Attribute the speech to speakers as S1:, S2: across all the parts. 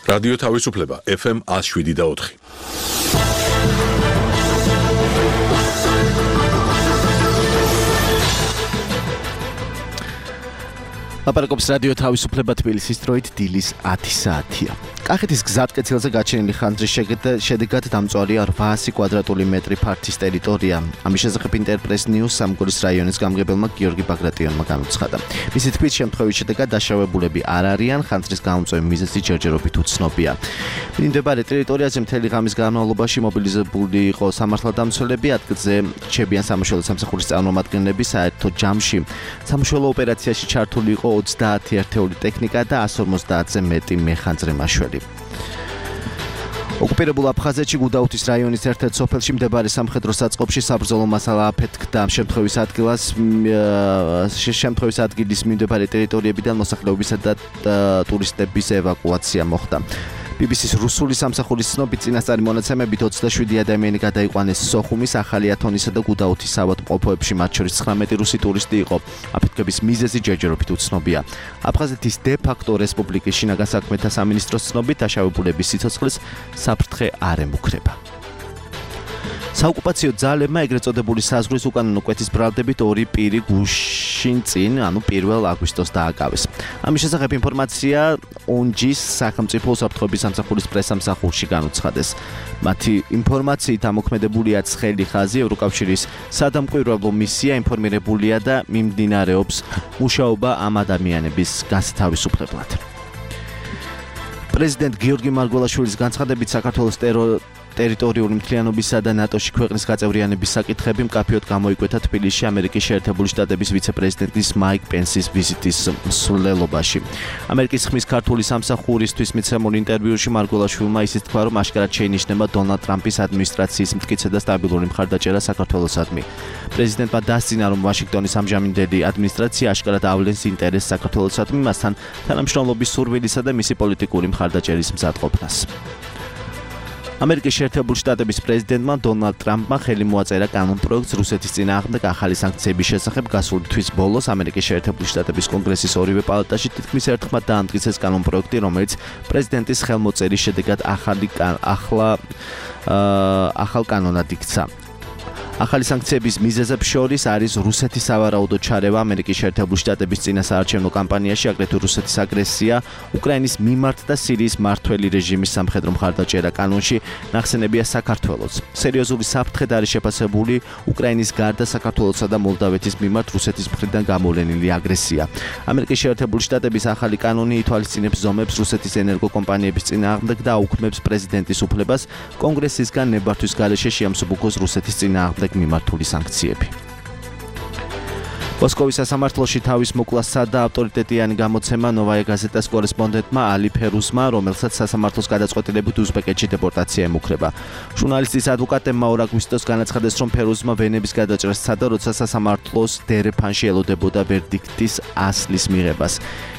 S1: რადიო თავისუფლება FM 107.4.
S2: ლაპარაკობს რადიო თავისუფლება თბილისის დროით დილის 10 საათია. კახეთის გზატკეცილზე გაჩენილი ხანძრის შედეგად დამწვარია 800 კვადრატული მეტრი ფართის ტერიტორია. ამის შესახებ ინტერპრეს ნიუს სამგორის რაიონის გამგებელმა გიორგი ბაგრატიონმა განუცხადა. მისი თქმით, შემთხვევის შედეგად დაშავებულები არ არიან, ხანძრის გამომწვევი მიზეზი ჯერჯერობით უცნობია. მიმდებარე ტერიტორიაზე მთელი ღამის განმავლობაში მობილიზებული იყო სამართალდამცველები, ადგილზე რჩებიან სამაშველო სამსახურის წარმომადგენლები, საერთო ჯამში სამაშველო ოპერაციაში ჩართული იყო 30 ერთეული ტექნიკა და 150-ზე მეტი მეხანძრე მაშველი. ოკუპირებულ აფხაზეთში გუდაუთის რაიონის ერთ-ერთ სოფელში მდებარე სამხედრო საწყობში საბრძოლო მასალა აფეთქდა. შემთხვევის ადგილის მიმდებარე ტერიტორიებიდან მოსახლეობისა და ტურისტების ევაკუაცია მოხდა. BBC-ს რუსული სამსახურის ცნობით წინასწარი მონაცემებით 27 ადამიანი გადაიყვანეს სოხუმის, ახალი ათონისა და გუდაუთის ავადმყოფოებში, მათ შორის 19 რუსი ტურისტი იყო. აფეთქების მიზეზი ჯერჯერობით უცნობია. აფხაზეთის დე-ფაქტო რესპუბლიკის შინაგან საქმეთა სამინისტროს ცნობით დაშავებულების სიცოცხლეს საფრთხე არ ემუქრება. საოკუპაციო ძალებმა ეგრეთ წოდებული საზღვრის უკანონო კვეთის ბრალდებით 2 პირი გუშინ წინ, 1 აგვისტოს დააკავეს. ამის შესახებ ინფორმაცია ონჯის სახელმწიფო უსაფრთხოების სამსახურის პრესამსახურში განუცხადეს. მათი ინფორმაციით ამოქმედებულია ცხელი ხაზი, ევროკავშირის სადამკვირვებლო მისია ინფორმირებულია და მიმდინარეობს მუშაობა ამ ადამიანების გასათავისუფლებლად. პრეზიდენტ გიორგი მარგველაშვილის განცხადებით საქართველოს ტერიტორიული მთლიანობისა და ნატოში ქვეყნის გაწევრიანების საკითხები მკაფიოდ გამოიკვეთა თბილისში ამერიკის შეერთებული შტატების ვიცე-პრეზიდენტის მაიკ პენსის ვიზიტის მსვლელობაში. ამერიკის ხმის ქართული სამსახურისთვის მიცემულ ინტერვიუში მარგველაშვილმა ისიც თქვა, რომ აშკარად შეინიშნება დონალდ ტრამპის ადმინისტრაციის მტკიცე და სტაბილური მხარდაჭერა საქართველოსადმი. პრეზიდენტმა დასძინა, რომ ვაშინგტონის ამჟამინდელი ადმინისტრაცია აშკარად ავლენს ინტერესს საქართველოსადმი, მასთან თანამშრომლობის სურვილისა და მისი პოლიტიკური მხარდაჭერის მზადყოფნას. ამერიკის შეერთებული შტატების პრეზიდენტმა დონალდ ტრამპმა ხელი მოაწერა კანონპროექტს რუსეთის წინააღმდეგ ახალი სანქციების შესახებ. გასული თვის ბოლოს ამერიკის შეერთებული შტატების კონგრესის ორივე პალატაში თითქმის ერთხმად დაამტკიცეს კანონპროექტი, რომელიც პრეზიდენტის ხელმოწერის შედეგად ახალ კანონად იქცა. ახალი სანქციების მიზეზებს შორის არის რუსეთის სავარაუდო ჩარევა ამერიკის შეერთებული შტატების წინასაარჩევნო კამპანიაში, აგრეთვე რუსეთის აგრესია უკრაინის მიმართ და სირიის მმართველი რეჟიმის სამხედრო მხარდაჭერა. კანონში ნახსენებია საქართველოც. სერიოზული საფრთხედ არის შეფასებული უკრაინის გარდა საქართველოსა და მოლდავეთის მიმართ რუსეთის მხრიდან გამოვლენილი აგრესია. ამერიკის შეერთებული შტატების ახალი კანონი ითვალისწინებს ზომებს რუსეთის ენერგოკომპანიების წინააღმდეგ და აუქმებს პრეზიდენტის უფლებას კონგრესისგან ნებართვის გარეშე შეამსუბუქოს რუსეთის წინააღმდეგ მიმართული სანქციები. მოსკოვის სასამართლოში თავის მოკვლას სცადა ავტორიტეტიანი გამოცემა ნოვაია გაზეტას კორესპონდენტმა ალი ფერუსმა, რომელსაც სასამართლოს გადაწყვეტილებით უზბეკეთში დეპორტაცია ემუქრება. ჟურნალისტის ადვოკატებმა 2 აგვისტოს განაცხადეს, რომ ფერუსმა ვენების გადაჭრას სცადა, როცა სასამართლოს დერეფანში ელოდებოდა ვერდიქტის ასლის მიღებას.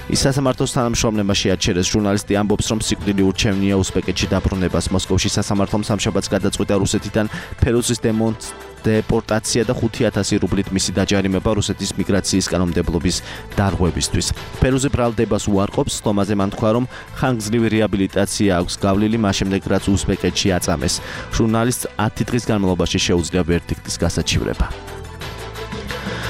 S2: ის სასამართლოს თანამშრომლებმა შეაჩერეს. ჟურნალისტი ამბობს, რომ სიკვდილი ურჩევნია უზბეკეთში დაბრუნებას. მოსკოვში სასამართლომ სამშაბათს გადაწყვიტა რუსეთიდან ფერუსის დეპორტაცია და 5,000 რუბლით მისი დაჯარიმება რუსეთის მიგრაციის კანონმდებლობის დარღვევისთვის. ფერუზი ბრალდებას უარყოფს, სტომაზე მან თქვა, რომ ხანგრძლივი რეაბილიტაცია აქვს გავლილი, მას შემდეგ რაც უზბეკეთში აწამეს. ჟურნალისტს 10 დღის განმავლობაში შეუძლია ვერდიქტის გასაჩივრება.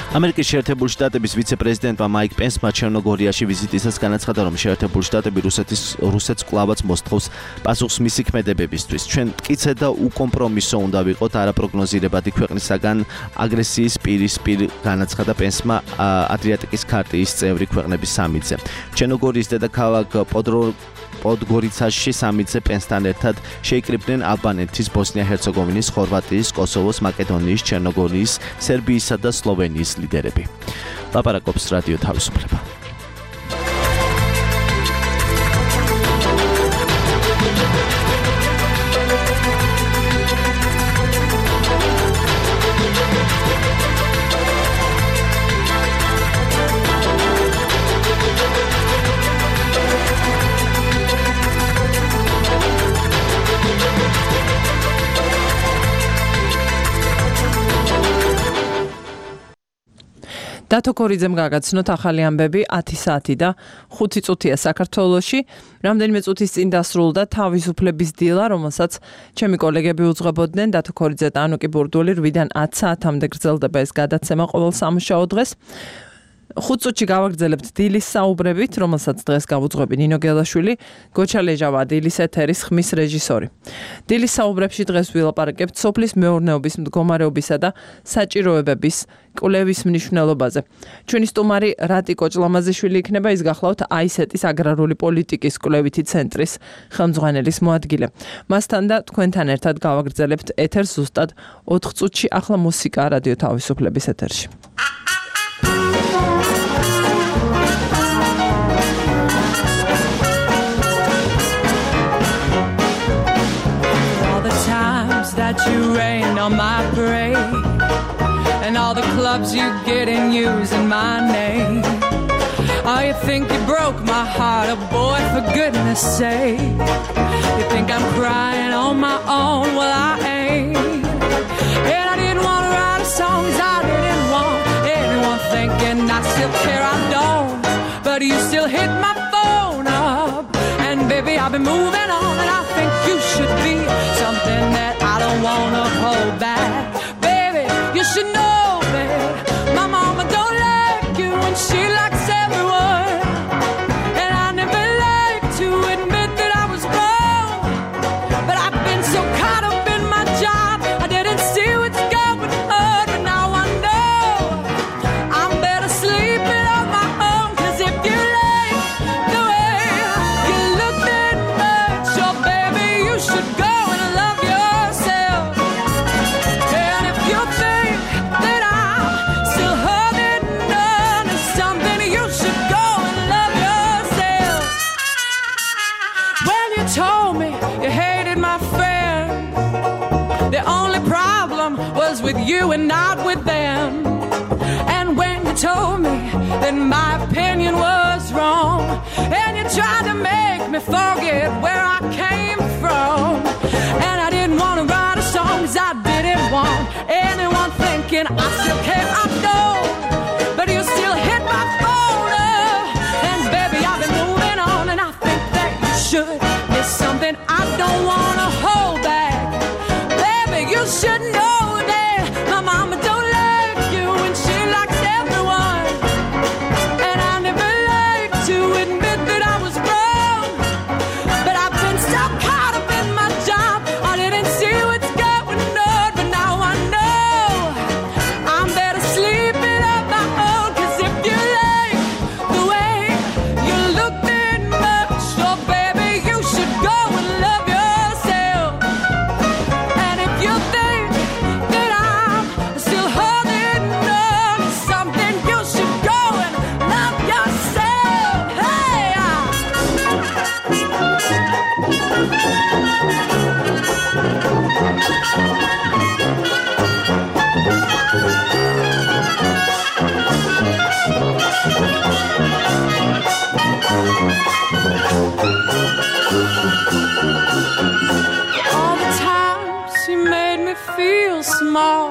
S2: ამერიკის შეერთებული შტატების ვიცე-პრეზიდენტმა მაიკ პენსმა ჩერნოგორიაში ვიზიტისას განაცხადა, რომ შეერთებული შტატები რუსეთს კვლავაც მოსთხოვს პასუხს მისი ქმედებებისთვის. ჩვენ მტკიცე და უკომპრომისო უნდა ვიყოთ, არაპროგნოზირებადი ქვეყნისაგან აგრესიის პირისპირ განაცხადა პენსმა ადრიატიკის ქარტიის წევრი ქვეყნების სამიტზე. ჩერნოგორიის დედაქალაქ პოდგორიცაში სამიტზე პენსთან ერთად შეიკრიბნენ ალბანეთის, ბოსნია-ჰერცეგოვინის, ხორვატიის, კოსოვოს, მაკედონიის, ჩერნოგორიის, სერბიისა და სლოვენიის ლიდერები. ლაპარაკობს რადიო თავისუფლება.
S3: დათო ქორიძემ გაგაცნოთ ახალი ამბები 10 საათი და 5 წუთია საქართველოში. რამდენიმე წუთის წინ დასრულდა თავისუფლების დილა, რომელსაც ჩემი კოლეგები უძღვებოდნენ. დათო ქორიძე და ანუკი ბურდული 8-დან 10 საათამდე გრძელდება ეს გადაცემა ყოველ სამუშაო დღეს. 5 წუთში გავაგრძელებთ დილის საუბრებით, რომელსაც დღეს გავუძღვები ნინო გელაშვილი, გოჩა ლეჟავა დილის ეთერის ხმის რეჟისორი. დილის საუბრებში დღეს ვილაპარაკებთ სოფლის მეურნეობის მდგომარეობისა და საჭიროებების კვლევის მნიშვნელობაზე. ჩვენი სტუმარი რატი კოჭლამაზიშვილი იქნება, ის გახლავთ აისეტის აგრარული პოლიტიკის კვლევითი ცენტრის ხელმძღვანელის მოადგილე. მასთან და თქვენთან ერთად გავაგრძელებთ ეთერს ზუსტად 4 წუთში. ახლა მუსიკა რადიო თავისუფლების ეთერში. That you rain on my parade and all the clubs you get in using my name. Oh, you think you broke my heart, oh boy, for goodness sake. You think I'm crying on my own, well I ain't. And I didn't want to write a song, 'cause I didn't want anyone thinking I still care, I don't. But you still hit my phone up, and baby I've been moving on, and I think you should be something that I don't wanna hold back. Baby, you should know that my mama don't like you and she likes everyone. And I never like to admit that I was wrong, but I've been so caught up in my job I didn't see what's going on. But now I know I'm better sleeping on my own. 'Cause if you like the way you look that much, oh baby, you should go and love yourself. And if you think that I'm still holding on to something, you should go and love yourself. When you told me you hated my friend, the only problem was with you and not with them. And when you told me that my opinion was wrong, and you tried to make me forget where I came from, and I didn't want to write a song 'cause I didn't want anyone thinking I still care, I know. But you still hit my phone up, and baby I've been moving on, and I think that you should. It's something I don't want to hold back. Baby, you should know that my mama don't like you and she likes everyone. And I never like to admit that I was wrong, but I've been so caught up in my job I didn't see what's going on. But now I know I'm better sleeping on my own. 'Cause if you like the way you look that much, oh baby, you should go and love yourself. And if you think that I'm still holding on to something, you should go and love yourself. Hey, all the times you made me feel small,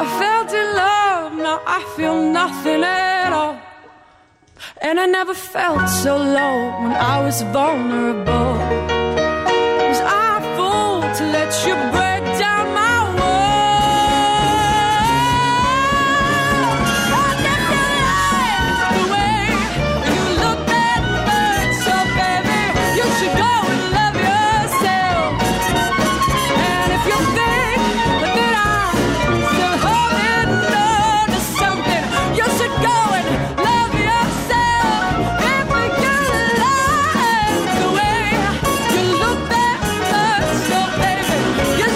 S3: I felt in love, now I feel nothing at all. And I never felt so low when I was vulnerable. Was I a fool to let you break down my wall? I never liked the way you look that much, so baby, you should go and love yourself. And if you think that I'm still holding on to something, you should go and love yourself. If we can like the way you look that much, so baby, you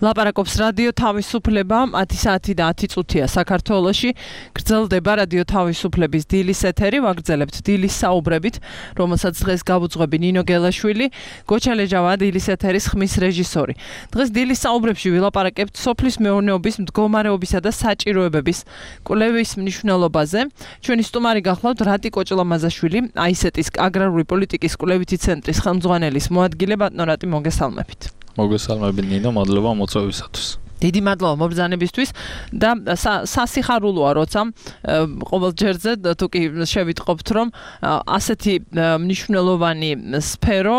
S3: ლაპარაკობს რადიო თავისუფლება 10 საათი და 10 წუთია საქართველოში. გრძელდება რადიო თავისუფლების დილის ეთერი, ვაგრძელებთ დილის საუბრებით, რომელსაც დღეს გავუძღვები ნინო გელაშვილი, გოჩა ლეჯავა დილის ეთერის ხმის რეჟისორი. დღეს დილის საუბრებში ვილაპარაკებთ სოფლის მეურნეობის მდგომარეობისა და საჭიროებების კვლევის მნიშვნელობაზე. ჩვენი სტუმარი გახლავთ რატი კოჭლამაზაშვილი, აისეტის აგრარული პოლიტიკის კვლევითი ცენტრის ხელმძღვანელის მოადგილე. ბატონო რატი მოგესალმებით.
S4: მოგესალმებით ნინო, მადლობა მოწვევისათვის.
S3: დიდი მადლობა მობრძანებისთვის და სასიხარულოა როცა ყოველ ჯერზე თუ კი შევიტყობთ რომ ასეთი მნიშვნელოვანი სფერო,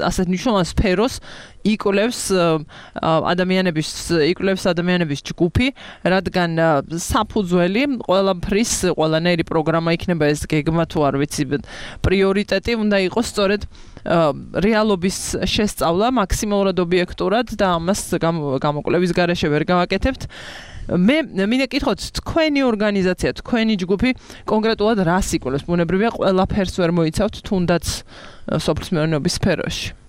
S3: ასეთ მნიშვნელოვან სფეროს იკვლევს ადამიანების ჯგუფი, რადგან საფუძველი ყველაფრის, ყველანაირი პროგრამა იქნება ეს გეგმა თუ არ ვიცი, პრიორიტეტი უნდა იყოს სწორედ რეალობის შესწავლა მაქსიმალურად ობიექტურად და ამას გამოკვლევის გარეშე ვერ გავაკეთებთ. მე მინდა გითხოთ, თქვენი ორგანიზაცია, თქვენი ჯგუფი კონკრეტულად რას იკვლევს? ბუნებრივია ყველაფერს ვერ მოიცავთ, თუნდაც სოფლის მეურნეობის სფეროში.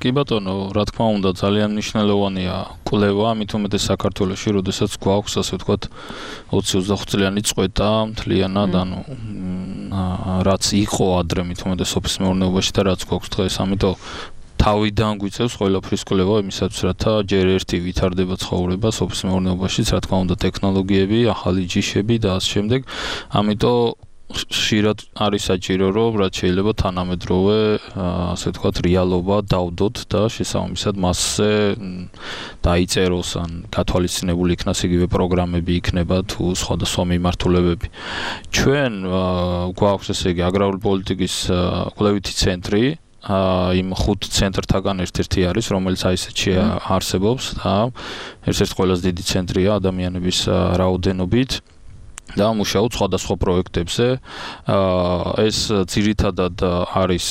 S4: კი ბატონო, რა თქმა უნდა, ძალიან მნიშვნელოვანია კვლევა, ამით უმეტეს საქართველოში, როდესაც გვაქვს, ასე ვთქვათ, 20-25 წლიანი წყვეტა მთლიანად, ანუ რაც იყო ადრე მით უმეტეს სოფლის მეურნეობაში და რაც გვაქვს დღეს, ამიტომ თავიდან გვიწევს ყველაფრის კვლევა იმისათვის, რათა ჯერ ერთი ვითარდება ცხოვრება სოფლის მეურნეობაშიც, რა თქმა უნდა, ტექნოლოგიები, ახალი ჯიშები და ასე შემდეგ. ამიტომ ხშირად არის საჭირო, რომ რაც შეიძლება თანამედროვე, ასე ვთქვათ, რეალობა დავდოთ და შესაბამისად მასზე დაიწეროს ან გათვალისწინებული იქნას იგივე პროგრამები იქნება თუ სხვადასხვა მიმართულებები. ჩვენ გვაქვს ესე იგი აგრარული პოლიტიკის კვლევითი ცენტრი, იმ 5 ცენტრთაგან ერთ-ერთი არის, რომელიც აისეტში არსებობს და ერთ-ერთი ყველაზე დიდი ცენტრია ადამიანების რაოდენობით. და მუშაობთ სხვადასხვა პროექტებზე. ეს ძირითადად არის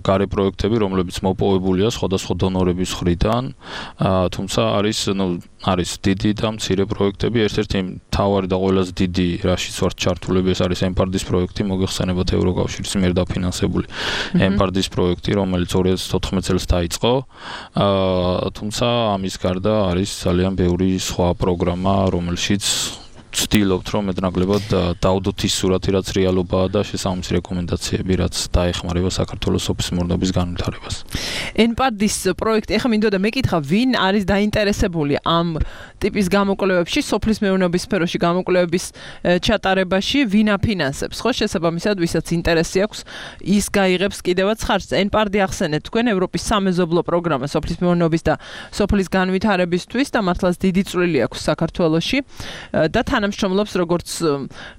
S4: გარე პროექტები, რომლებიც მოპოვებულია სხვადასხვა დონორების მხრიდან, თუმცა არის დიდი და მცირე პროექტები. ერთ-ერთი მთავარი და ყველაზე დიდი, რაშიც ვართ ჩართულები, ეს არის ემპარდის პროექტი, მოგეხსენებათ ევროკავშირის მიერ დაფინანსებული ემპარდის პროექტი, რომელიც 2014 წელს დაიწყო. თუმცა ამის გარდა არის ძალიან ბევრი სხვა პროგრამა, რომელშიც ვცდილობთ, რომ მეტნაკლებად დავდოთ ის სურათი, რაც რეალობაა და შესაბამისი რეკომენდაციები, რაც დაეხმარება საქართველოს სოფლის მეურნეობის განვითარებას.
S3: ემპარდის პროექტი, ეხლა მინდოდა მეკითხა, ვინ არის დაინტერესებული ამ ტიპის გამოკვლევებში, სოფლის მეურნეობის სფეროში გამოკვლევების ჩატარებაში, ვინ აფინანსებს? ხო, შესაბამისად, ვისაც ინტერესი აქვს, ის გაიღებს კიდევაც ხარჯს. ემპარდი ახსენეთ თქვენ ევროპის სამეზობლო პროგრამა სოფლის მეურნეობის და სოფლის განვითარებისთვის და მართლაც დიდი წვლილი აქვს საქართველოში და თანამშრომლობს როგორც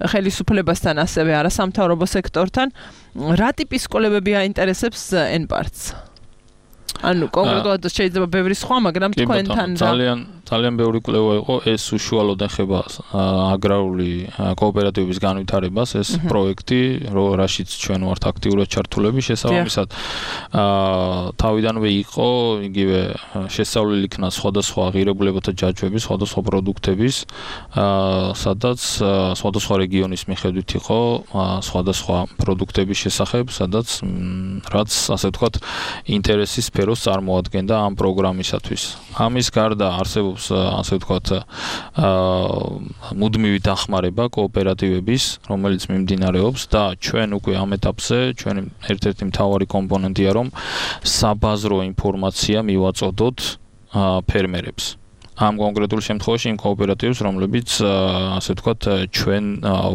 S3: ხელისუფლებასთან, ასევე არასამთავრობო სექტორთან. რა ტიპის კვლევები აინტერესებს ემპარდს? ანუ კონკრეტულად შეიძლება ბევრი სხვა, მაგრამ თქვენთან
S4: ძალიან ბევრი კვლევა იყო, ეს უშუალოდ ეხება აგრარული კოოპერატივების განვითარებას, ეს პროექტი, რაშიც ჩვენ ვართ აქტიურად ჩართულები, შესაბამისად თავიდანვე იყო იგივე შესწავლილი იქნა სხვადასხვა ღირებულებათა ჯაჭვების, სხვადასხვა პროდუქტების, სადაც სხვადასხვა რეგიონის მიხედვით იყო სხვადასხვა პროდუქტების შესახებ, სადაც რაც ასე ვთქვათ, ინტერესის სფეროს წარმოადგენდა ამ პროგრამისათვის. ამის გარდა არსებობს ასე ვთქვათ, მუდმივი დახმარება კოოპერატივების, რომელიც მიმდინარეობს და ჩვენ უკვე ამ ეტაპზე ჩვენი ერთ-ერთი მთავარი კომპონენტია, რომ საბაზრო ინფორმაცია მივაწოდოთ ფერმერებს. ამ კონკრეტულ შემთხვევაში იმ კოოპერატივებს, რომლებიც ასე ვთქვათ, ჩვენ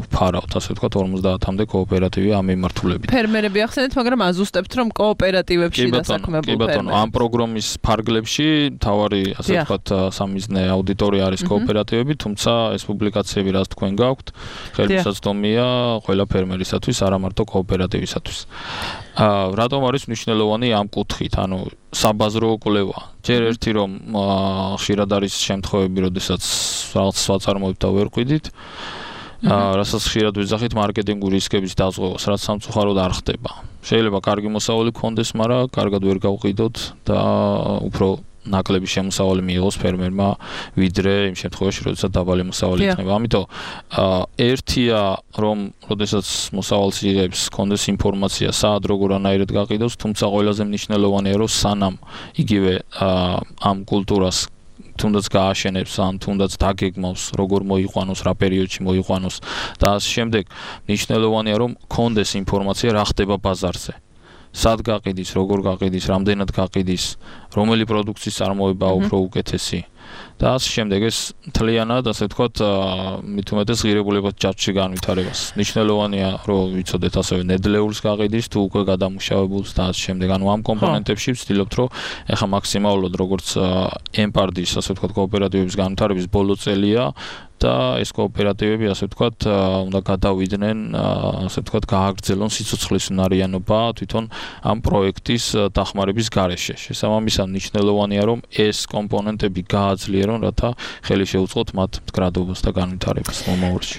S4: ვფარავთ, ასე ვთქვათ, 50-მდე კოოპერატივი ამ მიმართულებით.
S3: ფერმერები ახსენეთ, მაგრამ აზუსტებთ, რომ კოოპერატივებში დასაქმებულ
S4: კი ბატონო, ამ პროგრამის ფარგლებში თავარი, ასე ვთქვათ, სამიზნე აუდიტორია არის კოოპერატივები, თუმცა ეს პუბლიკაციები, რაც თქვენ გაქვთ, ხელმისაწვდომია ყველა ფერმერისათვის, არა მარტო კოოპერატივისათვის. რატომ არის მნიშვნელოვანი ამ კუთხით, ანუ საბაზრო კვლევა. ჯერ ერთი რომ ხშირად არის შემთხვევები, როდესაც რაღაც საწარმოებთ და ვერ ყვიდით, რასაც ხშირად ვიძახით მარკეტინგური რისკების დაზღვევას, რაც სამწუხაროდ არ ხდება. შეიძლება კარგი მოსავალი გქონდეს, მაგრამ კარგად ვერ გავყიდოთ და უფრო ნაკლები შემოსავალი მიიღოს ფერმერმა, ვიდრე იმ შემთხვევაში, როდესაც დაბალი მოსავალი იქნება. ამიტომ ერთია, რომ როდესაც მოსავალს იღებს, კონდეს ინფორმაცია, სად როგორანაირად გაყიდოს, თუმცა ყველაზე მნიშვნელოვანია, რომ სანამ იგივე ამ კულტურას თუნდაც გააშენებს ან თუნდაც დაგეგმავს როგორ მოიყვანოს, რა პერიოდში მოიყვანოს და ასე შემდეგ. მნიშვნელოვანია რომ კონდეს ინფორმაცია რა ხდება ბაზარზე. სად გაყიდის, როგორ გაყიდის, რამდენად გაყიდის, რომელი პროდუქციის წარმოება უფრო უკეთესი. და ასე შემდეგ ეს მთლიანად ასე ვთქვათ მით უმეტეს ღირებულებად ჯაჭვში განვითარებას. მნიშვნელოვანია რომ ვიცოდეთ ასევე ნედლეულს გაყიდის თუ უკვე გადამუშავებულს და ასე შემდეგ. ანუ ამ კომპონენტებში ვცდილობთ რომ ეხა მაქსიმალურად როგორც ემპარდის ასე ვთქვათ კოოპერატივების განვითარების ბოლო წელია და ეს კოოპერატივები ასე ვთქვათ უნდა გადავიდნენ ასე ვთქვათ გააგრძელონ სიცოცხლის უნარიანობა თვითონ ამ პროექტის დახმარების გარეშე. შესაბამისად მნიშვნელოვანია რომ ეს კომპონენტები გააძლიერონ რათა ხელი შეუწყოთ მათ მდგრადობას და განვითარებას მომავალში.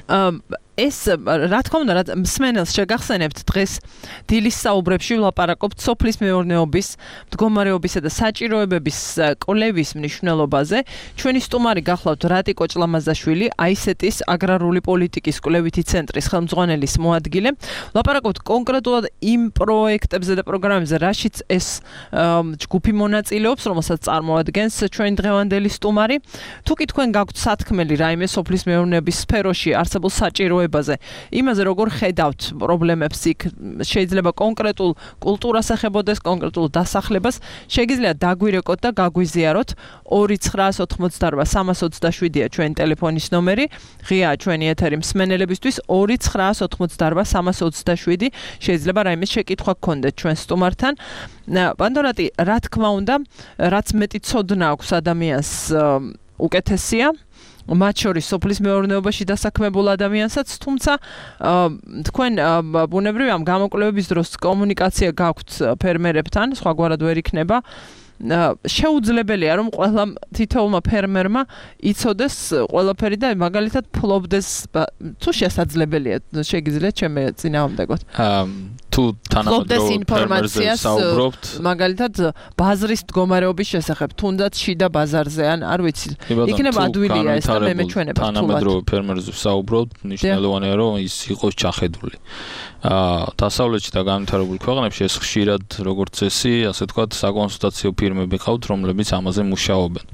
S5: ეს რა თქმა უნდა მსმენელს შეგახსენებთ დღეს დილის საუბრებში ვლაპარაკობთ სოფლის მეურნეობის მდგომარეობისა და საჭიროებების კვლევის მნიშვნელობაზე. ჩვენი სტუმარი გახლავთ რატიკო ჭლამაზაშვილი, აისეტის აგრარული პოლიტიკის კვლევითი ცენტრის ხელმძღვანელის მოადგილე. ვლაპარაკობთ კონკრეტულად იმ პროექტებზე და პროგრამებზე, რაშიც ეს ჯგუფი მონაწილეობს, რომელსაც წარმოადგენს ჩვენი დღევანდელი სტუმარი. თუ კი თქვენ გაქვთ სათქმელი რაიმე სოფლის მეურნეობის სფეროში არსებულ საჭიროებებზე, იმაზე როგორ ხედავთ პრობლემებს იქ, შეიძლება კონკრეტულ კულტურას ეხებოდეს, კონკრეტულ დასახლებას, შეგიძლიათ დაგვირეკოთ და გაგვიზიაროთ 2988327-ია ჩვენი ტელეფონის ნომერი, ღიაა ჩვენი ეთერი მსმენელებისთვის 2988327, შეიძლება რაიმე შეკითხვა გქონდეთ ჩვენ სტუმართან. პანდორატი, რა თქმა უნდა, რაც მეტი ცოდნა აქვს ადამიანს უკეთესია, მათ შორის სოფლის მეურნეობაში დასაქმებულ ადამიანსაც, თუმცა თქვენ ბუნებრივია ამ გამოკვლევების დროს კომუნიკაცია გაქვთ ფერმერებთან, სხვაგვარად ვერ იქნება. შეუძლებელია რომ ყველა თითოეულმა ფერმერმა იცოდეს ყველაფერი და მაგალითად ფლობდეს თუ შესაძლებელია შეგიძლიათ ჩემი წინააღმდეგოთ
S4: თუ თანამედროვე ინფორმაციას საუბრობთ
S5: მაგალითად ბაზრის მდგომარეობის შესახებ თუნდაც შიდა ბაზარზე ან არ ვიცი იქნება ადვილია ეს და მე მეჩვენება
S4: თანამედროვე ფერმერზე საუბრობთ ნიშნულოვანია რომ ის იყოს ჩახედული დასავლეთში და განვითარებულ ქვეყნებში ეს ხშირად როგორც წესი ასე ვთქვათ საკონსულტაციო ფირმები ყავთ რომლებიც ამაზე მუშაობენ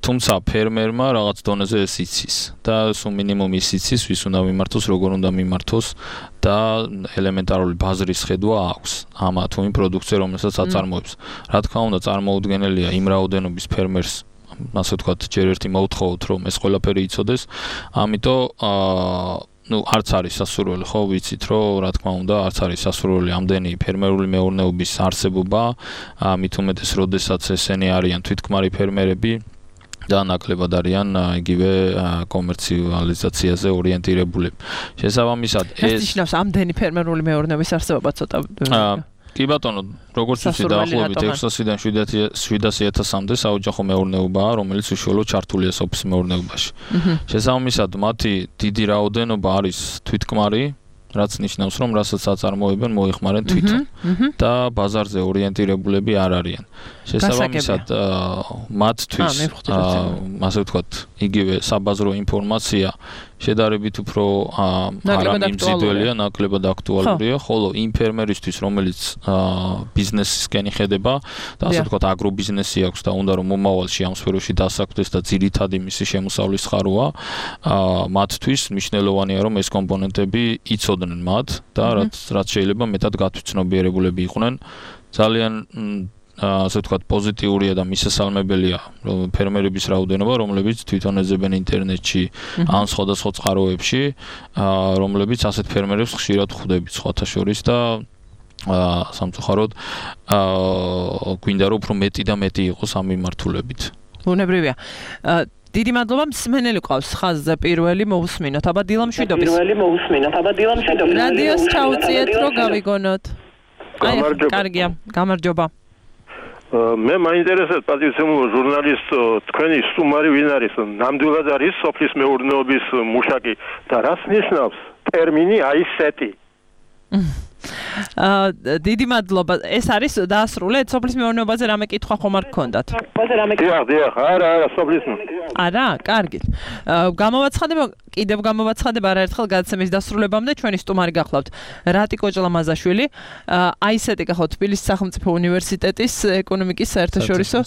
S4: თუმცა ფერმერმა რაღაც დონეზე ეს იცის და სულ მინიმუმ ის იცის ვის უნდა მიმართოს როგორ უნდა მიმართოს და ელემენტარული ბაზრის ხედვა აქვს ამა თუ იმ პროდუქცია რომელსაც აწარმოებს რა თქმა უნდა წარმოუდგენელია იმ რაოდენობის ფერმერს ასე ვთქვათ ჯერ ერთი მოუთხოვოთ რომ ეს ყველაფერი იცოდეს ამიტომ ну არც არის სასურველი ხო ვიცით რომ რა თქმა უნდა არც არის სასურველი ამდენი ფერმერული მეურნეობის არსებობა მით უმეტეს როდესაც ესენი არიან თვითქმარი ფერმერები და ნაკლებად არიან იგივე კომერციალიზაციაზე ორიენტირებული შესაბამისად
S5: ეს ნიშნავს ამდენი ფერმერული მეურნეობის არსებობა ცოტა
S4: კი ბატონო როგორც ვიცი დაახლოებით 600-დან 700,000-მდე საოჯახო მეურნეობაა რომელიც უშუალოდ ჩართულია სოფლის მეურნეობაში შესაბამისად მათი დიდი რაოდენობა არის თვითქმარი რაც ნიშნავს რომ რასაც აწარმოებენ მოიხმარენ თვითონ და ბაზარზე ორიენტირებულები არ არიან შესაბამისად მათთვის ასე ვთქვათ იგივე საბაზრო ინფორმაცია შედარებით უფრო არამიმზიდველია, ნაკლებად აქტუალურია, ხოლო იმ ფერმერისთვის, რომელიც ბიზნესისკენ იხედება და ასე ვთქვათ, აგრობიზნესი აქვს და უნდა რომ მომავალში ამ სფეროში დასაქმდეს და ძირითადი მისი შემოსავლის ხაროა, მათთვის მნიშვნელოვანია რომ ეს კომპონენტები იცოდნენ მათ და რაც შეიძლება მეტად გათვითცნობიერებულები იყვნენ. ძალიან ასე ვთქვათ პოზიტიურია და მისასალმებელია ფერმერების რაოდენობა, რომლებიც თვითონ ეძებენ ინტერნეტში ან სხვადასხვა წყაროებში, რომლებიც ასეთ ფერმერებს ხშირად ხვდებით სხვათა შორის და სამწუხაროდ გვინდა რომ უფრო მეტი და მეტი იყოს ამ მიმართულებით.
S5: ბუნებრივია. დიდი მადლობა მსმენელი ყავს ხაზზე პირველი მოусმინოთ. აბა დილამშვიდობის. რადიოს ჩაუწიეთ რომ გავიგონოთ. კარგია, გამარჯობა.
S6: მე მაინტერესებს პატივცემულო ჟურნალისტ თქვენი სტუმარი ვინ არის? ნამდვილად არის სოფლის მეურნეობის მუშაკი და რას ნიშნავს ტერმინი აისეტი?
S5: დიდი მადლობა. ეს არის დაასრულეთ სოფლის მეურნეობაზე რამე კითხვა ხომ არ გქონდათ?
S6: დიახ, არა, სოფლის.
S5: არა, კარგით. კიდევ გამოვაცხადება არაერთხელ გადაცემის დასრულებამდე ჩვენი სტუმარი გახლავთ რატიკო ჭლამაზაშვილი. აი ესეთი გახლავთ თბილისის სახელმწიფო უნივერსიტეტის ეკონომიკის საერთაშორისო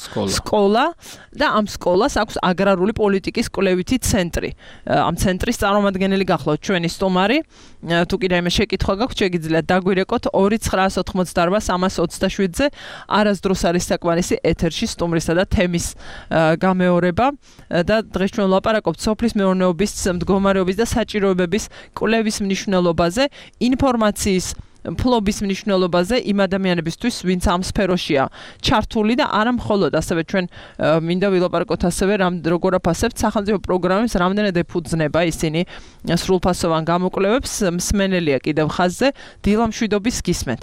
S5: სკოლა და ამ სკოლას აქვს აგრარული პოლიტიკის კვლევითი ცენტრი. ამ ცენტრის წარმომადგენელი გახლავთ ჩვენი სტუმარი. თუ კიდე იმის შეკითხვა გაქვთ, შეგიძლიათ დაგვირეკოთ 298-327-ზე. არასდროს არის საკმარისი ეთერში სტუმრისა და თემის გამეორება და დღეს ჩვენ ვლაპარაკობთ სოფლის მეურნეობის მდგომარეობის და საჭიროებების კვლევის მნიშვნელობაზე, ინფორმაციის ფლობის მნიშვნელობაზე იმ ადამიანებისთვის, ვინც ამ სფეროშია ჩართული და არა მხოლოდ, ასევე ჩვენ მინდა ვილაპარაკოთ ასევე როგორ აფასებთ სახელმწიფო პროგრამებს, რამდენად ეფუძნება ისინი სრულფასოვან გამოკვლევებს. მსმენელია კიდევ ხაზზე, დილა მშვიდობის გისმენთ.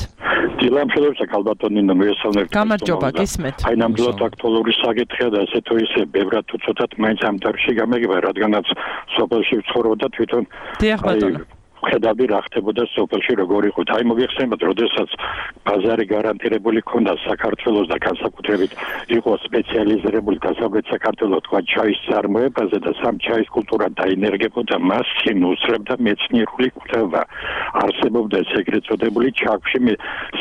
S7: დილა მშვიდობისა კალბატონინო მიესალმებით.
S5: გამარჯობა, გისმენთ.
S7: აი ნამდვილად აქტუალური საკითხია და ესე თუ ისე ბევრად თუ ცოტათ მაინც ამ დარგში გამეგება, რადგანაც სოფელში ვცხოვრობ და თვითონ
S5: დიახ ბატონო.
S7: ხედავდი რა ხდებოდა სოფელში როგორ იყო. აი მოგეხსენებათ, როდესაც ბაზარი გარანტირებული ქონდა საქართველოს და განსაკუთრებით იყო სპეციალიზირებული დასავლეთ საქართველოს თქვა ჩაის წარმოებაზე და სამ ჩაის კულტურა დაინერგებოდა, მას შემოუსწრებდა მეცნიერული კვლევა. არსებობდა ეგრეთ წოდებული ჩაქვში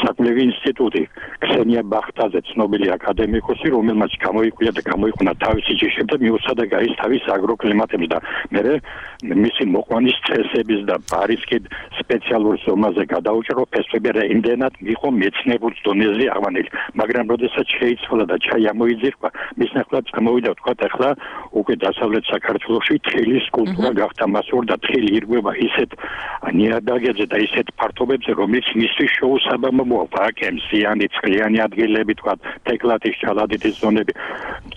S7: საკვლევი ინსტიტუტი ქსენია ბახტაძე, ცნობილი აკადემიკოსი, რომელმაც გამოიკვია და გამოიყუნა თავისი ჯიში და მიუცადა გაის თავის აგროკლიმატებს და მე მისი მოყვანის წესების და რისკით სპეციალურ ზომაზე გადაუჭრო ფესვები რა იმდენად იყო მეცნიერულ დონეზე აღვანილი, მაგრამ როდესაც შეიცვალა და ჩაი ამოიძირკვა, მის ნახევარად წამოვიდა თქვა ახლა უკვე დასავლეთ საქართველოში თილის კულტურა გახდა მასურ და თილი ირგვება ისეთ ნიადაგებზე და ისეთ ფართობებზე, რომელიც მისთვის შეუსაბამო მოაქვს, აკემსიანი, წყლიანი ადგილები, თქვა თეკლათის, ჩალადიტის ზონები.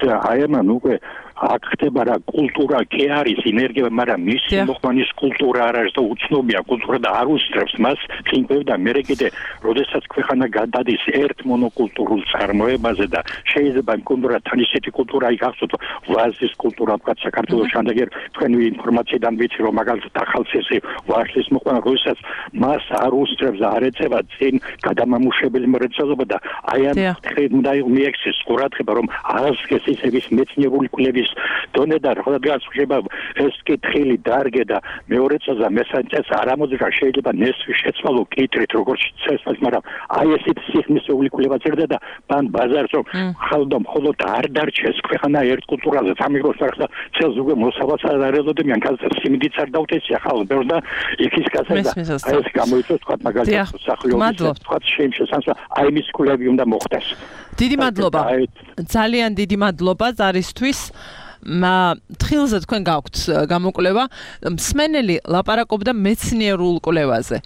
S7: აი ამან უკვე აქ ხდება რა კულტურა კი არის ინერგია, მაგრამ მისი მოყვანის კულტურა არ არის და უცნობია კულტურა და არ უსწრებს მას წინკვევ და მე კიდე როდესაც ქვეყანა გადადის ერთ მონოკულტურულ წარმოებაზე და შეიძლება იმ კულტურათან ისეთი კულტურა იქახსოთ ვაზის კულტურა თქვა საქართველოს შემდეგერ თქვენი ინფორმაციიდან ვიცი რომ მაგალითად ახალციხე ვაშლის მოყვანა როდესაც მას არ უსწრებს არ ეწევა წინ გადამამუშავებელი მრეწველობა და აი ამ უნდა მიექცეს ყურადღება რომ აღსკეს ისების მეცნიერული კვლევის დონე და როდესაც ხდება ეს კითხილი დარგე და მეორე წელს მესამე წელს არ ამოძრა შეიძლება ნესვი შეცვალო კითრით როგორც წესს, მაგრამ აი ესეთ სიხნისეული კვლევა წერდა და პან ბაზარს რომ ხალხო მხოლოდ არ დარჩეს ქვეყანა ერთ კულტურაზე სამიღოს ახლა წელს უკვე მოსავალს არ ელოდე მიან გაზეთს სიმდიც არ დავთესია ხალხო და იქის გასაგდა აი ეს გამოიწვევს თქვა მაგალითად სახლიობის თქვა შეიმჩნევს აი მის კვლევები უნდა მოხდეს.
S5: დიდი მადლობა. ძალიან დიდი მადლობა ზარისთვის. თხილზე თქვენ გაქვთ გამოკვლევა. მსმენელი ლაპარაკობდა მეცნიერულ კვლევაზე.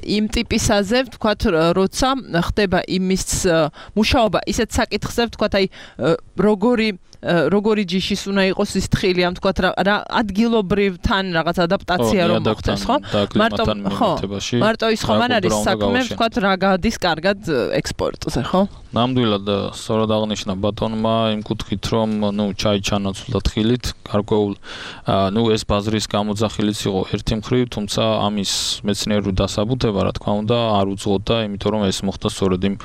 S5: იმ ტიპისაზე, ვთქვათ, როცა ხდება იმის მუშაობა ისეთ საკითხზე, ვთქვათ, აი როგორი ჯიშის უნდა იყოს ის თხილი, ამ ვთქვათ რა ადგილობრივთან რაღაც ადაპტაცია რომ მოხდეს, ხო? მარტო ის ხომ არ არის საქმე, ვთქვათ, რა გადის კარგად ექსპორტზე, ხო?
S4: ნამდვილად სწორად აღნიშნა ბატონმა იმ კუთხით, რომ ჩაი ჩანაცვლა თხილით, გარკვეულ ეს ბაზრის გამოძახილიც იყო ერთი მხრივ, თუმცა ამის მეცნიერული დასაბუთება, რა თქმა უნდა, არ უძღოდა, იმიტომ რომ ეს მოხდა სწორედ იმ,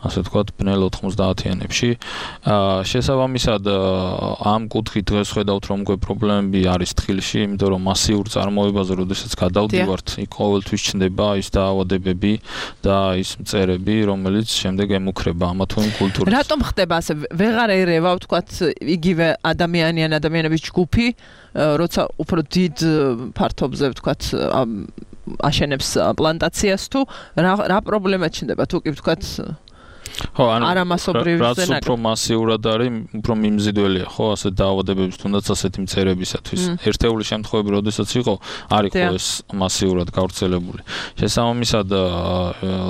S4: ასე ვთქვათ, ბნელ 90-იანებში. შესაბამისად, ამ კუთხით დღეს ხედავთ, რომ უკვე პრობლემები არის თხილში, იმიტომ რომ მასიურ წარმოებაზე, როდესაც გადავდივართ, იქ ყოველთვის ჩნდება ის დაავადებები და ის მწერები, რომელიც შემდეგ ემუქრება ამა თუ იმ კულტურას.
S5: რატომ ხდება ასე? ვეღარ ერევა, ვთქვათ, იგივე ადამიანების ჯგუფი, როცა უფრო დიდ ფართობზე, ვთქვათ, აშენებს პლანტაციას თუ რა პრობლემა ჩნდება, თუ კი ვთქვათ
S4: ხო, რაც უფრო მასიურად არის, უფრო მიმზიდველია, ხო, ასე დაავადებების თუნდაც ასეთი მწერებისათვის. ერთეული შემთხვევები, როდესაც იყო, არ იყო ეს მასიურად გავრცელებული. შესაბამისად,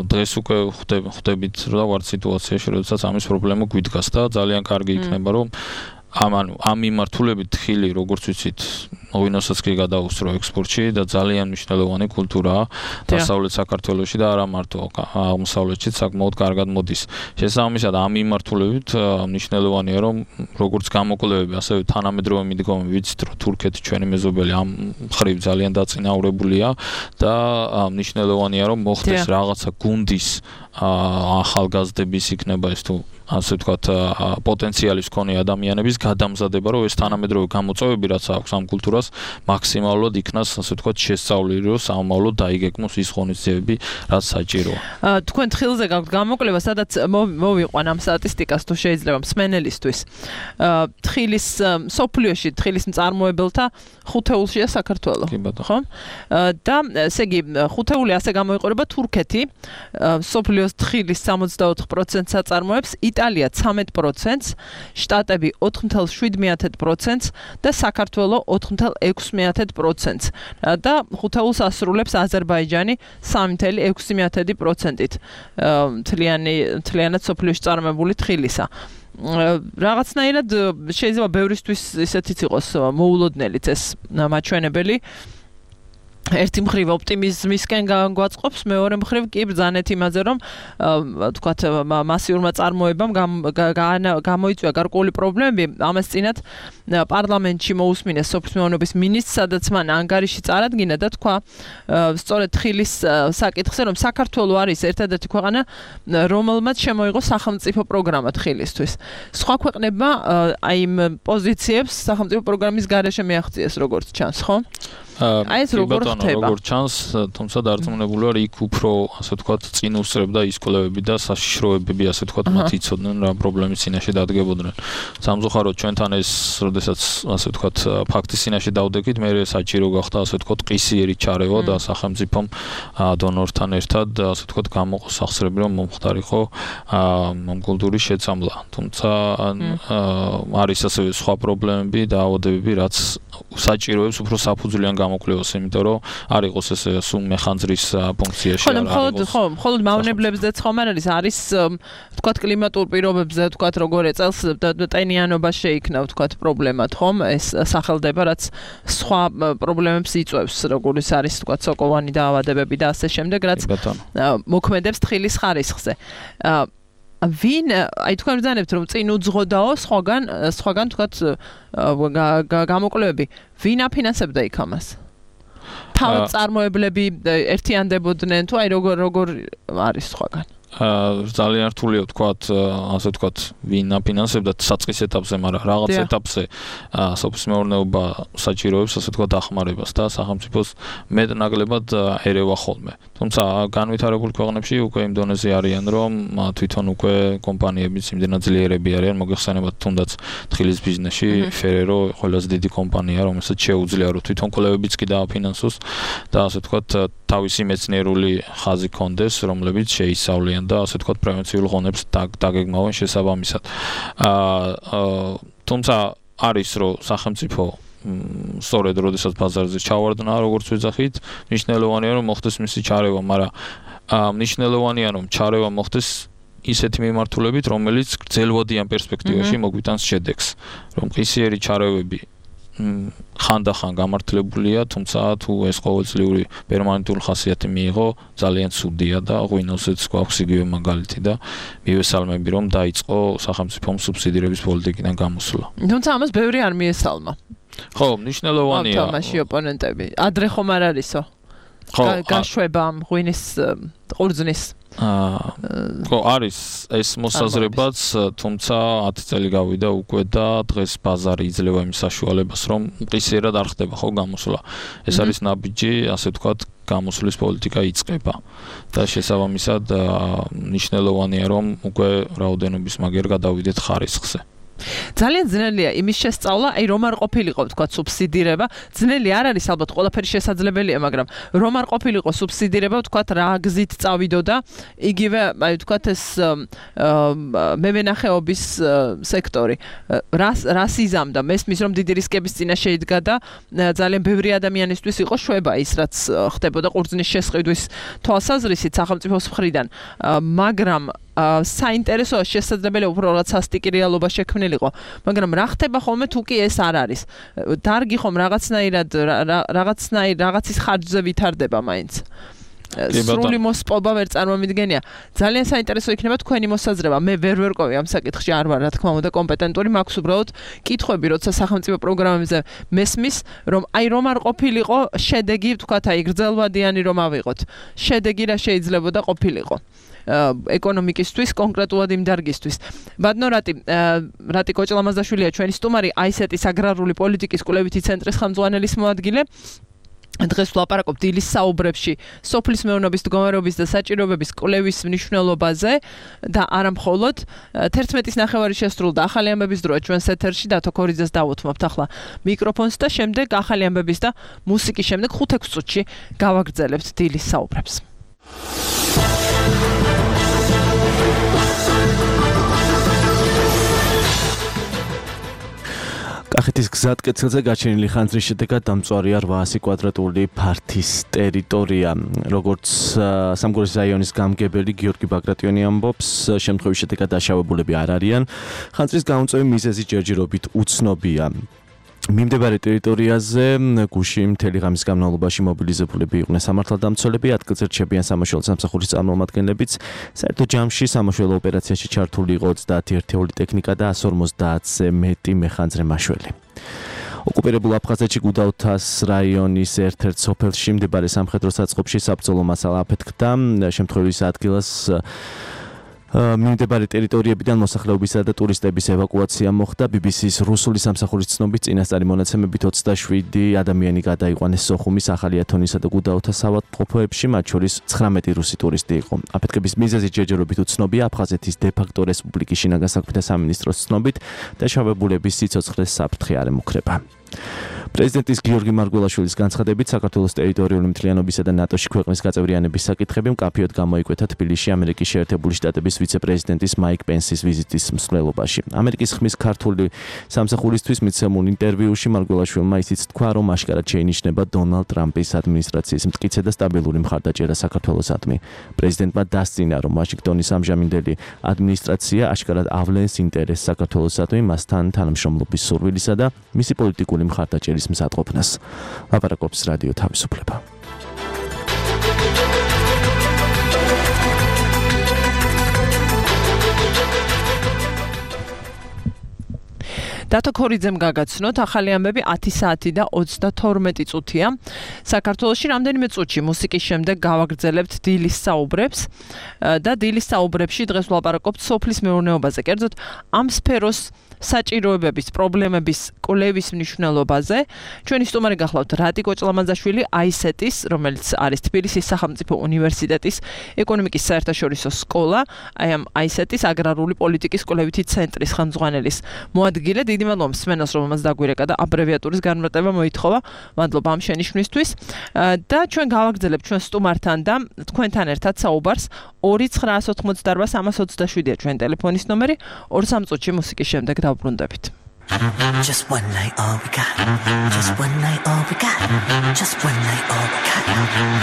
S4: დღეს უკვე ხვდებით რა ვარ სიტუაციაში, როდესაც ამის პრობლემა გვიდგას და ძალიან კარგი იქნება, რომ ამ მიმართულებით თხილი, როგორც ვიცით, ღვინოსაც კი გადაუსწრო ექსპორტში და ძალიან მნიშვნელოვანი კულტურაა დასავლეთ საქართველოში და არა მარტო აღმოსავლეთში საკმაოდ კარგად მოდის. შესაბამისად, ამ მიმართულებით მნიშვნელოვანია, რომ როგორც გამოკვლევები, ასევე თანამედროვე მიდგომები ვიცით, რომ თურქეთი ჩვენი მეზობელი ამ მხრივ ძალიან დაწინაურებულია და მნიშვნელოვანია, რომ მოხდეს რაღაცა გუნდის ახალგაზრდების იქნება ეს თუ ასე ვთქვათ პოტენციალის მქონე ადამიანების გადამზადება, რომ ეს თანამედროვე გამოწვევები, რაც აქვს ამ კულტურას, მაქსიმალურად იქნას, ასე ვთქვათ, შესწავლილი, რომ სამომავლოდ დაიგეგმოს ის ღონისძიებები, რაც საჭიროა.
S5: თქვენ თხილზე გაქვთ გამოკვლევა, სადაც მოვიყვან ამ სტატისტიკას, თუ შეიძლება მსმენელისთვის. თხილის სოფლიოში თხილის მწარმოებელთა ხუთეულშია საქართველო. ხო? და ესე იგი, ხუთეული ასე გამოიყურება თურქეთი, სოფლიოს თხილის 64%-ს აწარმოებს, იტალია 13%-ს, შტატები 4.7%-ს და საქართველო 4.6%-ს. და ხუთეულს ასრულებს აზერბაიჯანი 3.6%-ით. მთლიანად სოფლიოში წარმოებული თხილისა. რაღაცნაირად შეიძლება ბევრისთვის ისეთიც იყოს მოულოდნელიც ეს მაჩვენებელი. ერთი მხრივ ოპტიმიზმისკენ გვაწყობს, მეორე მხრივ კი ბრძანეთ იმაზე, რომ თქვათ მასიურმა წარმოებამ გამოიწვია გარკვეული პრობლემები. ამას წინათ პარლამენტში მოусმინეს სოფლის მეურნეობის მინისტრს, სადაც მან ანგარიში წარადგინა და თქვა სწორედ თხილის საკითხზე, რომ საქართველო არის ერთადერთი ქვეყანა, რომელმაც შემოიღო სახელმწიფო პროგრამა თხილისთვის. სხვა ქვეყნებმა აი იმ პოზიციებს სახელმწიფო პროგრამის გარეშე მიაღწიეს, როგორც ჩანს, ხო? აი ეს როგორ ხდება?
S4: როგორც ჩანს, თუმცა დარწმუნებული ვარ, იქ უფრო, ასე ვთქვათ, წინ უსწრებდა ის კვლევები და საშიშროებები, ასე ვთქვათ, მათ იცოდნენ რა პრობლემის წინაშე დადგებოდნენ. სამწუხაროდ ჩვენთან ეს, როდესაც, ასე ვთქვათ, ფაქტის წინაშე დავდექით, მე საჭირო გახდა, ასე ვთქვათ, ყისიერი ჩარევა და სახელმწიფომ დონორთან ერთად, ასე ვთქვათ, გამოყოს სახსრები, რომ მომხდარიყო ამ კულტურის შეცამლა. თუმცა არის ასევე სხვა პრობლემები და აუადებები, რაც საჭიროებს უფრო საფუძვლიან გამოკვლევას, იმიტომ რომ არ იყოს ეს სულ მეხანძრის ფუნქციაში
S5: არა. ხო, მხოლოდ მავნებლებზე ხომ არ არის, ვთქვათ, კლიმატურ პირობებზე, ვთქვათ, როგორ წელს ტენიანობა შეიქმნა, ვთქვათ, პრობლემად, ხომ? ეს სახელდება, რაც სხვა პრობლემებს იწვევს, როგორიც არის, ვთქვათ, სოკოვანი დაავადებები და ასე შემდეგ, რაც მოქმედებს თხილის ხარისხზე. ვინ, აი თქვენ ბრძანებთ, რომ წინ უძღოდაო სხვაგან თქვათ გამოკვლევები, ვინ აფინანსებდა იქ ამას? თავად წარმოებლები ერთიანდებოდნენ თუ აი როგორ არის სხვაგან?
S4: ძალიან რთულია ვთქვათ, ასე ვთქვათ, ვინ აფინანსებდა საწყის ეტაპზე, მაგრამ რაღაც ეტაპზე სოფლის მეურნეობა საჭიროებს, ასე ვთქვათ, დახმარებას და სახელმწიფოს მეტნაკლებად ერევა ხოლმე. თუმცა განვითარებულ ქვეყნებში უკვე იმ დონეზე არიან, რომ თვითონ უკვე კომპანიებიც იმდენად ძლიერები არიან, მოგეხსენებათ თუნდაც თხილის ბიზნესში, Ferrero ყველაზე დიდი კომპანია, რომელსაც შეუძლია რომ თვითონ კვლევებიც კი დააფინანსოს და ასე ვთქვათ, თავისი მეცნიერული ხაზი კონდეს, რომლებიც შეისწავლიან და ასე ვთქვათ, პრევენციულ ღონებს დაგეგმავენ შესაბამისად. თუმცა არის რომ სახელმწიფო სწორედ როდესაც ბაზარზე ჩავარდნა, როგორც ვეძახით, მნიშვნელოვანია რომ მოხდეს მისი ჩარევა, მაგრამ მნიშვნელოვანია რომ ჩარევა მოხდეს ისეთი მიმართულებით, რომელიც გრძელვადიან პერსპექტივაში მოგვიტანს შედეგს, რომ ყისიერი ჩარევები ხანდახან გამართლებულია, თუმცა თუ ეს ყოველწლიური პერმანენტული ხასიათი მიიღო, ძალიან ცუდია და ღვინოსეც გვაქვს იგივე მაგალითი და მივესალმები, რომ დაიწყო სახელმწიფომ სუბსიდირების პოლიტიკიდან გამოსვლა.
S5: თუმცა ამას ბევრი არ მიესალმა.
S4: ხო, მნიშვნელოვანია.
S5: თამაში ოპონენტები. ადრე ხომ არ არისო? გაშვება ღვინის ყურძნის
S4: ხო, არის ეს მოსაზრებაც, თუმცა 10 წელი გავიდა უკვე და დღეს ბაზარი იძლევა იმ საშუალებას, რომ ყისიერად არ ხდება ხო გამოსვლა. ეს არის ნაბიჯი, ასე ვთქვათ, გამოსვლის პოლიტიკა იწყება და შესაბამისად მნიშვნელოვანია, რომ უკვე რაოდენობის მაგერ გადავიდეთ ხარისხზე.
S5: ძალიან ძნელია იმის შესწავლა, აი რომ არ ყოფილიყო თქვა სუბსიდირება, ძნელი არ არის ალბათ ყველაფერი შესაძლებელია, მაგრამ რომ არ ყოფილიყო სუბსიდირება, თქვა რა გზით წავიდოდა, იგივე აი თქვა ეს მევენახეობის სექტორი, რას იზამდა, მესმის რომ დიდი რისკების წინაშე იდგა და ძალიან ბევრი ადამიანისთვის იყო შვება ის რაც ხდებოდა ყურძნის შესყიდვის თვალსაზრისით სახელმწიფოს მხრიდან, მაგრამ საინტერესოა შესაძლებელია უფრო რაღაც სასტიკი რეალობა შექმნილიყო, მაგრამ რა ხდება ხოლმე თუ კი ეს არ არის? დარგი ხომ რაღაცის ხარჯზე ვითარდება მაინც. სრული მოსპობა ვერ წარმომიდგენია. ძალიან საინტერესო იქნება თქვენი მოსაზრება. მე ვერ ვერკვევი ამ საკითხში, არ ვარ რა თქმა უნდა კომპეტენტური, მაქვს უბრალოდ კითხვები, როცა სახელმწიფო პროგრამებზე მესმის, რომ რომ არ ყოფილიყო შედეგი, თქვათ აი გრძელვადიანი რომ ავიღოთ. შედეგი რა შეიძლებოდა ყოფილიყო. ეკონომიკისთვის, კონკრეტულად იმ დარგისთვის. ბატონო რატი კოჭლამაზაშვილია ჩვენი სტუმარი აისეტის აგრარული პოლიტიკის კვლევითი ცენტრის ხელმძღვანელის მოადგილე. დღეს ვლაპარაკობთ დილის საუბრებში სოფლის მეურნეობის მდგომარეობის და საჭიროებების კვლევის მნიშვნელობაზე და არა მხოლოდ 11-ის ნახევარი შესრულდა ახალი ამბების დროა ჩვენს ეთერში დათო ქორიძეს დავუთმობთ ახლა მიკროფონს და შემდეგ ახალი ამბების და მუსიკის შემდეგ 5-6 წუთში გავაგრძელებთ დილის საუბრებს.
S2: კახეთის გზატკეცილზე გაჩენილი ხანძრის შედეგად დამწვარია 800 კვადრატული ფართის ტერიტორია. როგორც სამგორის რაიონის გამგებელი გიორგი ბაგრატიონი ამბობს, შემთხვევის შედეგად დაშავებულები არ არიან. ხანძრის გაუნწევი მიზეზი ჯერჯერობით უცნობია. მიმდებარე ტერიტორიაზე გუში მთელი ღამის განმავლობაში მობილიზებულები იყვნენ სამართალდამცველები, ადგილზე რჩებიან სამაშველო სამსახურის წარმომადგენლებიც. საერთო ჯამში სამაშველო ოპერაციაში ჩართული იყო 30 ერთეული ტექნიკა და 150-ზე მეტი მეხანძრე მაშველი. ოკუპირებულ აფხაზეთში გუდაუთას რაიონის ერთ-ერთ სოფელში მდებარე სამხედრო საწყობში საბრძოლო მასალა აფეთქდა. შემთხვევის ადგილას მიმდებარე ტერიტორიებიდან მოსახლეობისა და ტურისტების ევაკუაცია მოხდა. BBC-ის რუსული სამსახურის ცნობით წინასწარი მონაცემებით 27 ადამიანი გადაიყვანეს სოხუმის, ახალი ათონისა და გუდაუთას საავადმყოფოებში, მათ შორის 19 რუსი ტურისტი იყო. აფეთქების მიზეზი ჯერჯერობით უცნობია. აფხაზეთის დე-ფაქტო რესპუბლიკის შინაგან საქმეთა სამინისტროს ცნობით დაშავებულების სიცოცხლეს საფრთხე არ ემუქრება. პრეზიდენტის გიორგი მარგველაშვილის განცხადებით საქართველოს ტერიტორიული მთლიანობისა და ნატოში ქვეყნის გაწევრიანების საკითხები მკაფიოდ გამოიკვეთა თბილისში ამერიკის შეერთებული შტატების ვიცე-პრეზიდენტის მაიკ პენსის ვიზიტის მსვლელობაში. ამერიკის ხმის ქართული სამსახურისთვის მიცემულ ინტერვიუში მარგველაშვილმა ისიც თქვა, რომ აშკარად შეინიშნება დონალდ ტრამპის ადმინისტრაციის მტკიცე და სტაბილური მხარდაჭერა საქართველოსადმი. პრეზიდენტმა დასწინა, რომ ვაშინგტონის ამჟამინდელი ადმინისტრაცია აშკარად ავლენს ინტერესს საქართველოსადმი, მასთან თანამშრომლობის სურვილისა და მისი პოლიტიკური მხარდაჭერის მზადყოფნას. ლაპარაკობს რადიო თავისუფლება.
S5: დათო ქორიძემ გაგაცნოთ ახალი ამბები 10 საათი და 32 წუთია. საქართველოში რამდენიმე წუთში მუსიკის შემდეგ გავაგრძელებთ დილის საუბრებს და დილის საუბრებში დღეს ვლაპარაკობთ სოფლის მეურნეობაზე. კერძოდ ამ სფეროს საჭიროებების პრობლემების კვლევის მნიშვნელობაზე. ჩვენი სტუმარი გახლავთ რატი კოჭლამაზაშვილი აისეტის, რომელიც არის თბილისის სახელმწიფო უნივერსიტეტის ეკონომიკის საერთაშორისო სკოლა, აი ამ აისეტის აგრარული პოლიტიკის კვლევითი ცენტრის ხელმძღვანელის მოადგილე. დიდი მადლობა მსმენელს, რომელმაც დაგვირეკა და აბრევიატურის განმარტება მოითხოვა. მადლობა ამ შენიშვნისთვის. და ჩვენ გავაგრძელებთ ჩვენ სტუმართან და თქვენთან ერთად საუბარს 2988327-ია ჩვენ ტელეფონის ნომერი. 2-3 წუთში მუსიკის შემდეგ დავბრუნდებით.
S8: Just one night, all we got. Just one night, all we got. Just one night, all we got.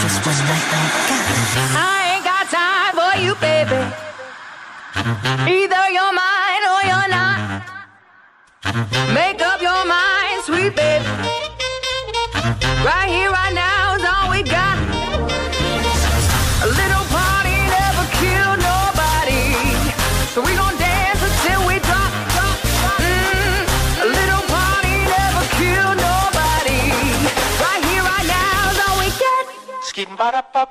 S8: Just one night, all we got.
S3: I ain't got time for you, baby. Either you're mine or you're not. Make up your mind, sweet baby. Right here, right now is all we got. A little party never killed nobody, so we gon' dance until we drop. A little party never killed nobody. Right here, right now is all we get.
S8: Skidding ba da pop.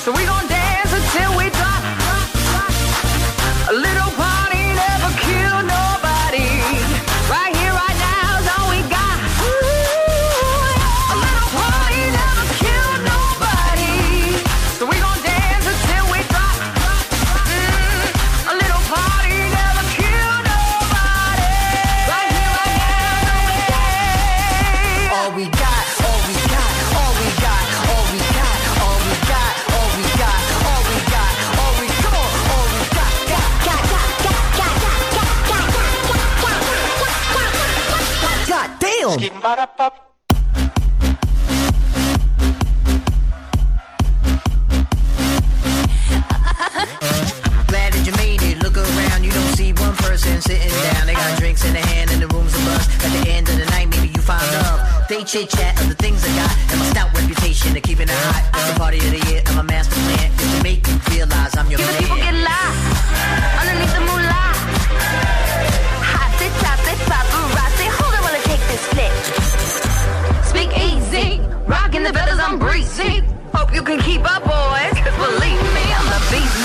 S3: So we gon' dance until we drop.
S8: film. Glad that you made it. Look around, you don't see one person sitting down. They got drinks in their hand and the room's a buzz. At the end of the night, maybe you find love. They chit chat of the things I got and my stout reputation of keeping it hot. It's the party of the year and my master plan is to make you realize I'm your man.
S9: People get lost underneath the moonlight. Hot to top it, paparazzi. Hold on while I take this flick. Speak easy, rocking the feathers, I'm breezy. Hope you can keep up, boys, 'cause believe me, I'm the beast.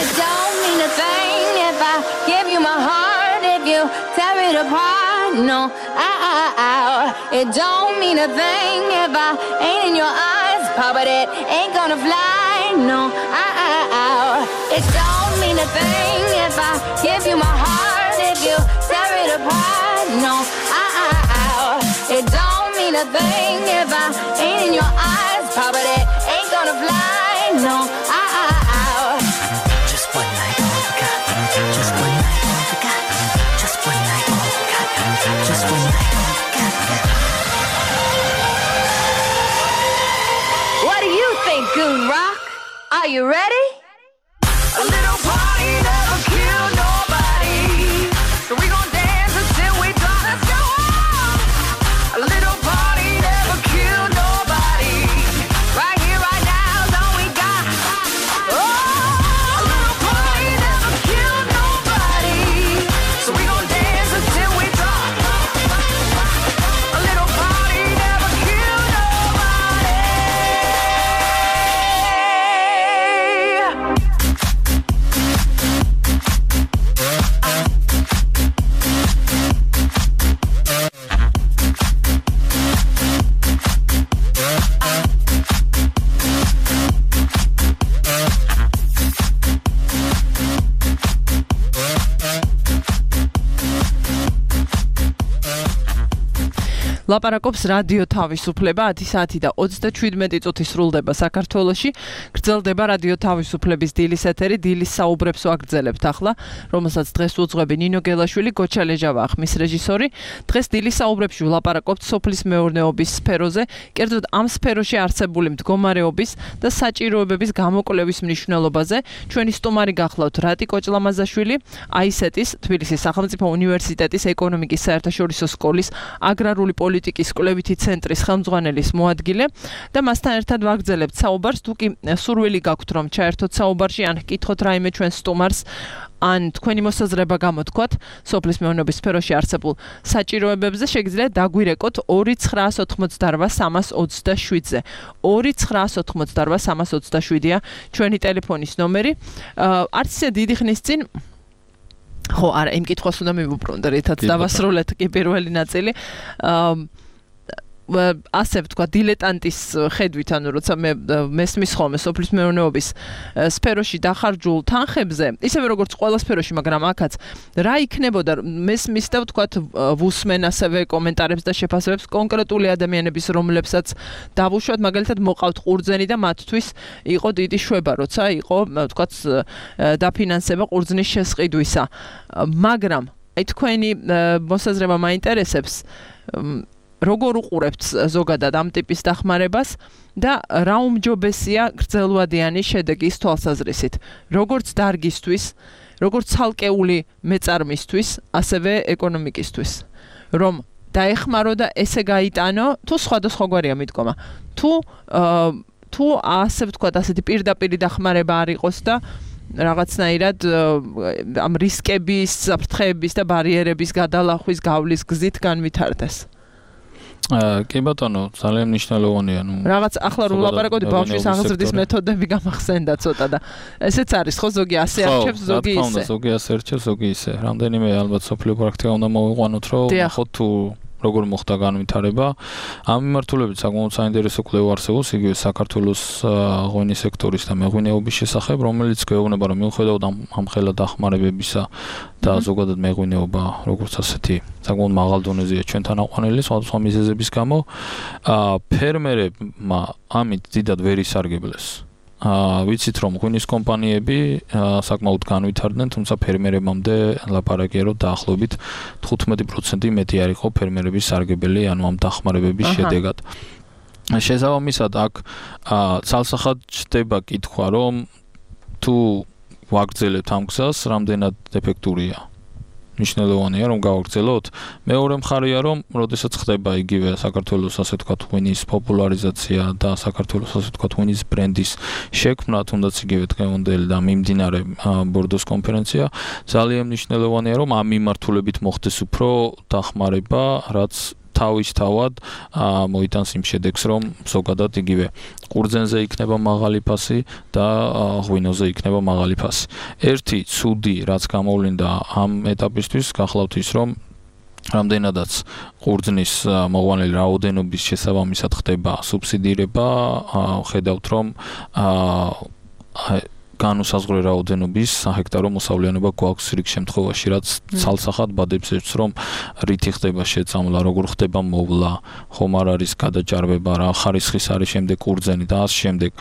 S9: It don't mean a thing if I give you my heart, if you tear it apart. No, it don't mean a thing if I ain't in your eyes, but it ain't gonna fly. No, it don't mean a thing if I give you my heart, if you tear it apart. No, it don't mean a thing if I ain't in your eyes, but it ain't gonna fly. No,
S8: Just one night, all we got. Just one night, all we got. Just one night, all we got. Just one night, all we got.
S9: what do you think, Goon Rock? Are you ready?
S3: A little party never killed nobody. So we gon' dance until we drop. Let's go on. A little party never killed nobody. Right here, right now is all we got. Oh, a little party never killed nobody. So we gon' dance until we drop. A little party never killed nobody.
S5: ლაპარაკობს რადიო თავისუფლება 10 საათი და 37 წუთი სრულდება საქართველოში. გრძელდება რადიო თავისუფლების დილის ეთერი, დილის საუბრებს ვაგრძელებთ ახლა, რომელსაც დღეს უძღვები ნინო გელაშვილი, გოჩა ლეჟავა ხმის რეჟისორი. დღეს დილის საუბრებში ვლაპარაკობთ სოფლის მეურნეობის სფეროზე, კერძოდ ამ სფეროში არსებული მდგომარეობის და საჭიროებების გამოკვლევის მნიშვნელობაზე. ჩვენი სტუმარი გახლავთ რატი კოჭლამაზაშვილი, აისეტის, თბილისის სახელმწიფო უნივერსიტეტის ეკონომიკის საერთაშორისო სკოლის აგრარული პოლიტიკის კვლევითი ცენტრის ხელმძღვანელის მოადგილე და მასთან ერთად ვაგრძელებთ საუბარს. თუ კი სურვილი გაქვთ რომ ჩაერთოთ საუბარში ან გკითხოთ რაიმე ჩვენ სტუმარს ან თქვენი მოსაზრება გამოთქვათ სოფლის მეურნეობის სფეროში არსებულ საჭიროებებზე, შეგიძლიათ დაგვირეკოთ 2988327-ზე. 2988327-ია ჩვენი ტელეფონის ნომერი. არც ისე დიდი ხნის წინ ხო, არა, იმ კითხვას უნდა მივუბრუნდე, რითაც დავასრულეთ კი პირველი ნაწილი. ასე ვთქვა, დილეტანტის ხედვით, ანუ როცა მე მესმის ხოლმე სოფლის მეურნეობის სფეროში დახარჯულ თანხებზე, ისევე როგორც ყველა სფეროში, მაგრამ აქაც რა იქნებოდა, მესმის და ვთქვათ, ვუსმენ ასევე კომენტარებს და შეფასებებს კონკრეტული ადამიანების, რომლებსაც დავუშვათ, მაგალითად მოყავთ ყურძენი და მათთვის იყო დიდი შვება, როცა იყო, ვთქვათ, დაფინანსება ყურძნის შესყიდვისა. მაგრამ აი თქვენი მოსაზრება მაინტერესებს, როგორ უყურებთ ზოგადად ამ ტიპის დახმარებას და რა უმჯობესია გრძელვადიანი შედეგის თვალსაზრისით, როგორც დარგისთვის, როგორც ცალკეული მეწარმისთვის, ასევე ეკონომიკისთვის, რომ დაეხმარო და ესე გაიტანო, თუ სხვადასხვაგვარია მიდგომა, თუ ასე ვთქვათ, ასეთი პირდაპირი დახმარება არ იყოს და რაღაცნაირად ამ რისკების, საფრთხეების და ბარიერების გადალახვის გავლის გზით განვითარდეს.
S4: კი ბატონო, ძალიან მნიშვნელოვანია,
S5: რაღაც ახლა რომ ვლაპარაკობდი ბავშვის აღზრდის მეთოდები გამახსენდა ცოტა და ესეც არის ხო, ზოგი ასე არჩევს, ზოგი ისე.
S4: ზოგი ასე არჩევს, ზოგი ისე. რამდენიმე ალბათ სოფლიო პრაქტიკა უნდა მოვიყვანოთ, რომ ნახოთ თუ როგორ მოხდა განვითარება. ამ მიმართულებით საკმაოდ საინტერესო კვლევა არსებობს იგივე საქართველოს ღვინის სექტორის და მეღვინეობის შესახებ, რომელიც გვეუბნება, რომ მიუხედავად ამ ხელა დახმარებებისა და ზოგადად მეღვინეობა, როგორც ასეთი, საკმაოდ მაღალ დონეზეა ჩვენთან აყვანილი სხვადასხვა მიზეზების გამო, ფერმერებმა ამით დიდად ვერ ისარგებლეს. ვიცით რომ ღვინის კომპანიები საკმაოდ განვითარდნენ, თუმცა ფერმერებამდე ლაპარაკია რომ დაახლოებით 15% მეტი არ იყო ფერმერების სარგებელი, ანუ ამ დახმარებების შედეგად. შესაბამისად აქ ცალსახად ჩდება კითხვა რომ თუ ვაგრძელებთ ამ გზას, რამდენად ეფექტურია. მნიშვნელოვანია რომ გავაგრძელოთ. მეორე მხარეა რომ როდესაც ხდება იგივე საქართველოს ასე ვთქვათ ღვინის პოპულარიზაცია და საქართველოს ასე ვთქვათ ღვინის ბრენდის შექმნა, თუნდაც იგივე დღევანდელი და მიმდინარე ბორდოს კონფერენცია, ძალიან მნიშვნელოვანია რომ ამ მიმართულებით მოხდეს უფრო დახმარება, რაც თავისთავად მოიტანს იმ შედეგს, რომ ზოგადად იგივე ყურძენზე იქნება მაღალი ფასი და ღვინოზე იქნება მაღალი ფასი. ერთი ცუდი, რაც გამოვლინდა ამ ეტაპისთვის, გახლავთ ის, რომ რამდენადაც ყურძნის მოყვანილი რაოდენობის შესაბამისად ხდება სუბსიდირება, ხედავთ რომ განუსაზღვრე რაოდენობის საჰექტარო მოსავლიანობა გვაქვს რიგ შემთხვევაში, რაც ცალსახად ბადებს ეჭვს, რომ რითი ხდება შეწამლა, როგორ ხდება მოვლა, ხომ არ არის გადაჭარბება, რა ხარისხის არის შემდეგ ყურძენი და ამ შემდეგ.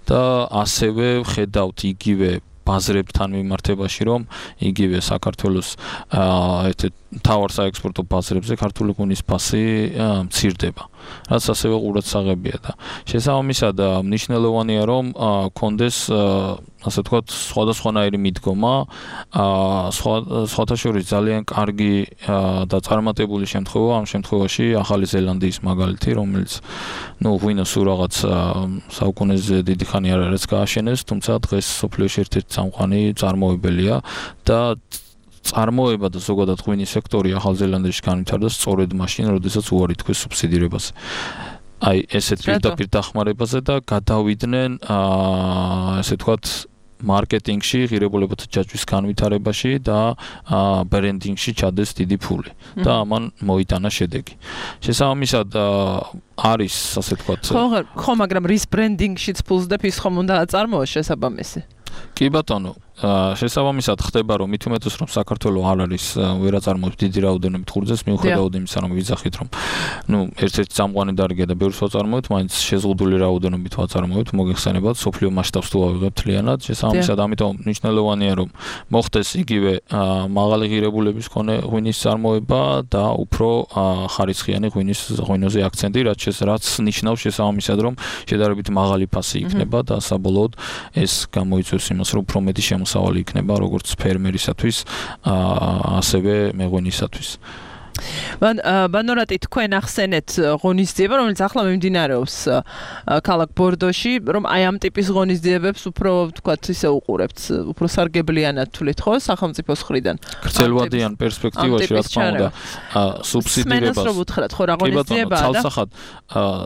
S4: და ასევე ხედავთ იგივე ბაზრებთან მიმართებაში, რომ იგივე საქართველოს ერთ-ერთ მთავარ საექსპორტო ბაზრებზე ქართული ღვინის ფასი მცირდება, რაც ასევე ყურადსაღებია და შესაბამისად მნიშვნელოვანია რომ კონდეს ასე ვთქვათ სხვადასხვანაირი მიდგომა, სხვათა შორის ძალიან კარგი და წარმატებული შემთხვევა ამ შემთხვევაში ახალი ზელანდიის მაგალითი, რომელიც ღვინოს სულ რაღაც საუკუნეზე დიდი ხანი არ არის გააშენეს, თუმცა დღეს სოფლიოში ერთ-ერთი წამყვანი წარმოებელია და წარმოება და ზოგადად ღვინის სექტორი ახალ ზელანდიაში განვითარდა სწორედ მაშინ, როდესაც უარი თქვეს სუბსიდირებაზე. აი ესეთ პირდაპირ დახმარებაზე და გადავიდნენ ასე ვთქვათ მარკეტინგში, ღირებულებათა ჯაჭვის განვითარებაში და ბრენდინგში ჩადეს დიდი ფული და ამან მოიტანა შედეგი. შესაბამისად არის ასე ვთქვათ
S5: ხო, მაგრამ რის ბრენდინგშიც ფულს და ის ხომ უნდა აწარმოოს შესაბამისი.
S4: კი ბატონო, შესაბამისად ხდება რომ მით უმეტეს რომ საქართველოს არ არის ვერ აწარმოებს დიდი რაოდენობით ყურძენს, მიუხედავად იმისა რომ ვიძახით რომ ერთ-ერთი წამყვანი დარგია და ბევრს ვაწარმოებთ, მაინც შეზღუდული რაოდენობით ვაწარმოებთ, მოგეხსენებათ სოფლიო მასშტაბს თუ ავიღებთ მთლიანად, შესაბამისად ამიტომ მნიშვნელოვანია რომ მოხდეს იგივე მაღალი ღირებულების მქონე ღვინის წარმოება და უფრო ხარისხიანი ღვინოზე აქცენტი, რაც ნიშნავს შესაბამისად რომ შედარებით მაღალი ფასი იქნება და საბოლოოდ ეს გამოიწვევს იმას რომ უფრო მეტი მოსავალი იქნება როგორც ფერმერისათვის, ასევე მეღვინისათვის.
S5: ბანორატი თქვენ ახსენეთ ღონისძიება, რომელიც ახლა მიმდინარეობს ქალაქ ბორდოში, რომ აი ამ ტიპის ღონისძიებებს უფრო ვთქვათ ისე უყურებთ, უფრო სარგებლიანად თვლით ხო სახელმწიფოს მხრიდან.
S4: გრძელვადიან პერსპექტივაში რა თქმა უნდა სუბსიდირებას
S5: სმენას რო უთხრათ ხო რა ღონისძიებაა და
S4: ცალსახად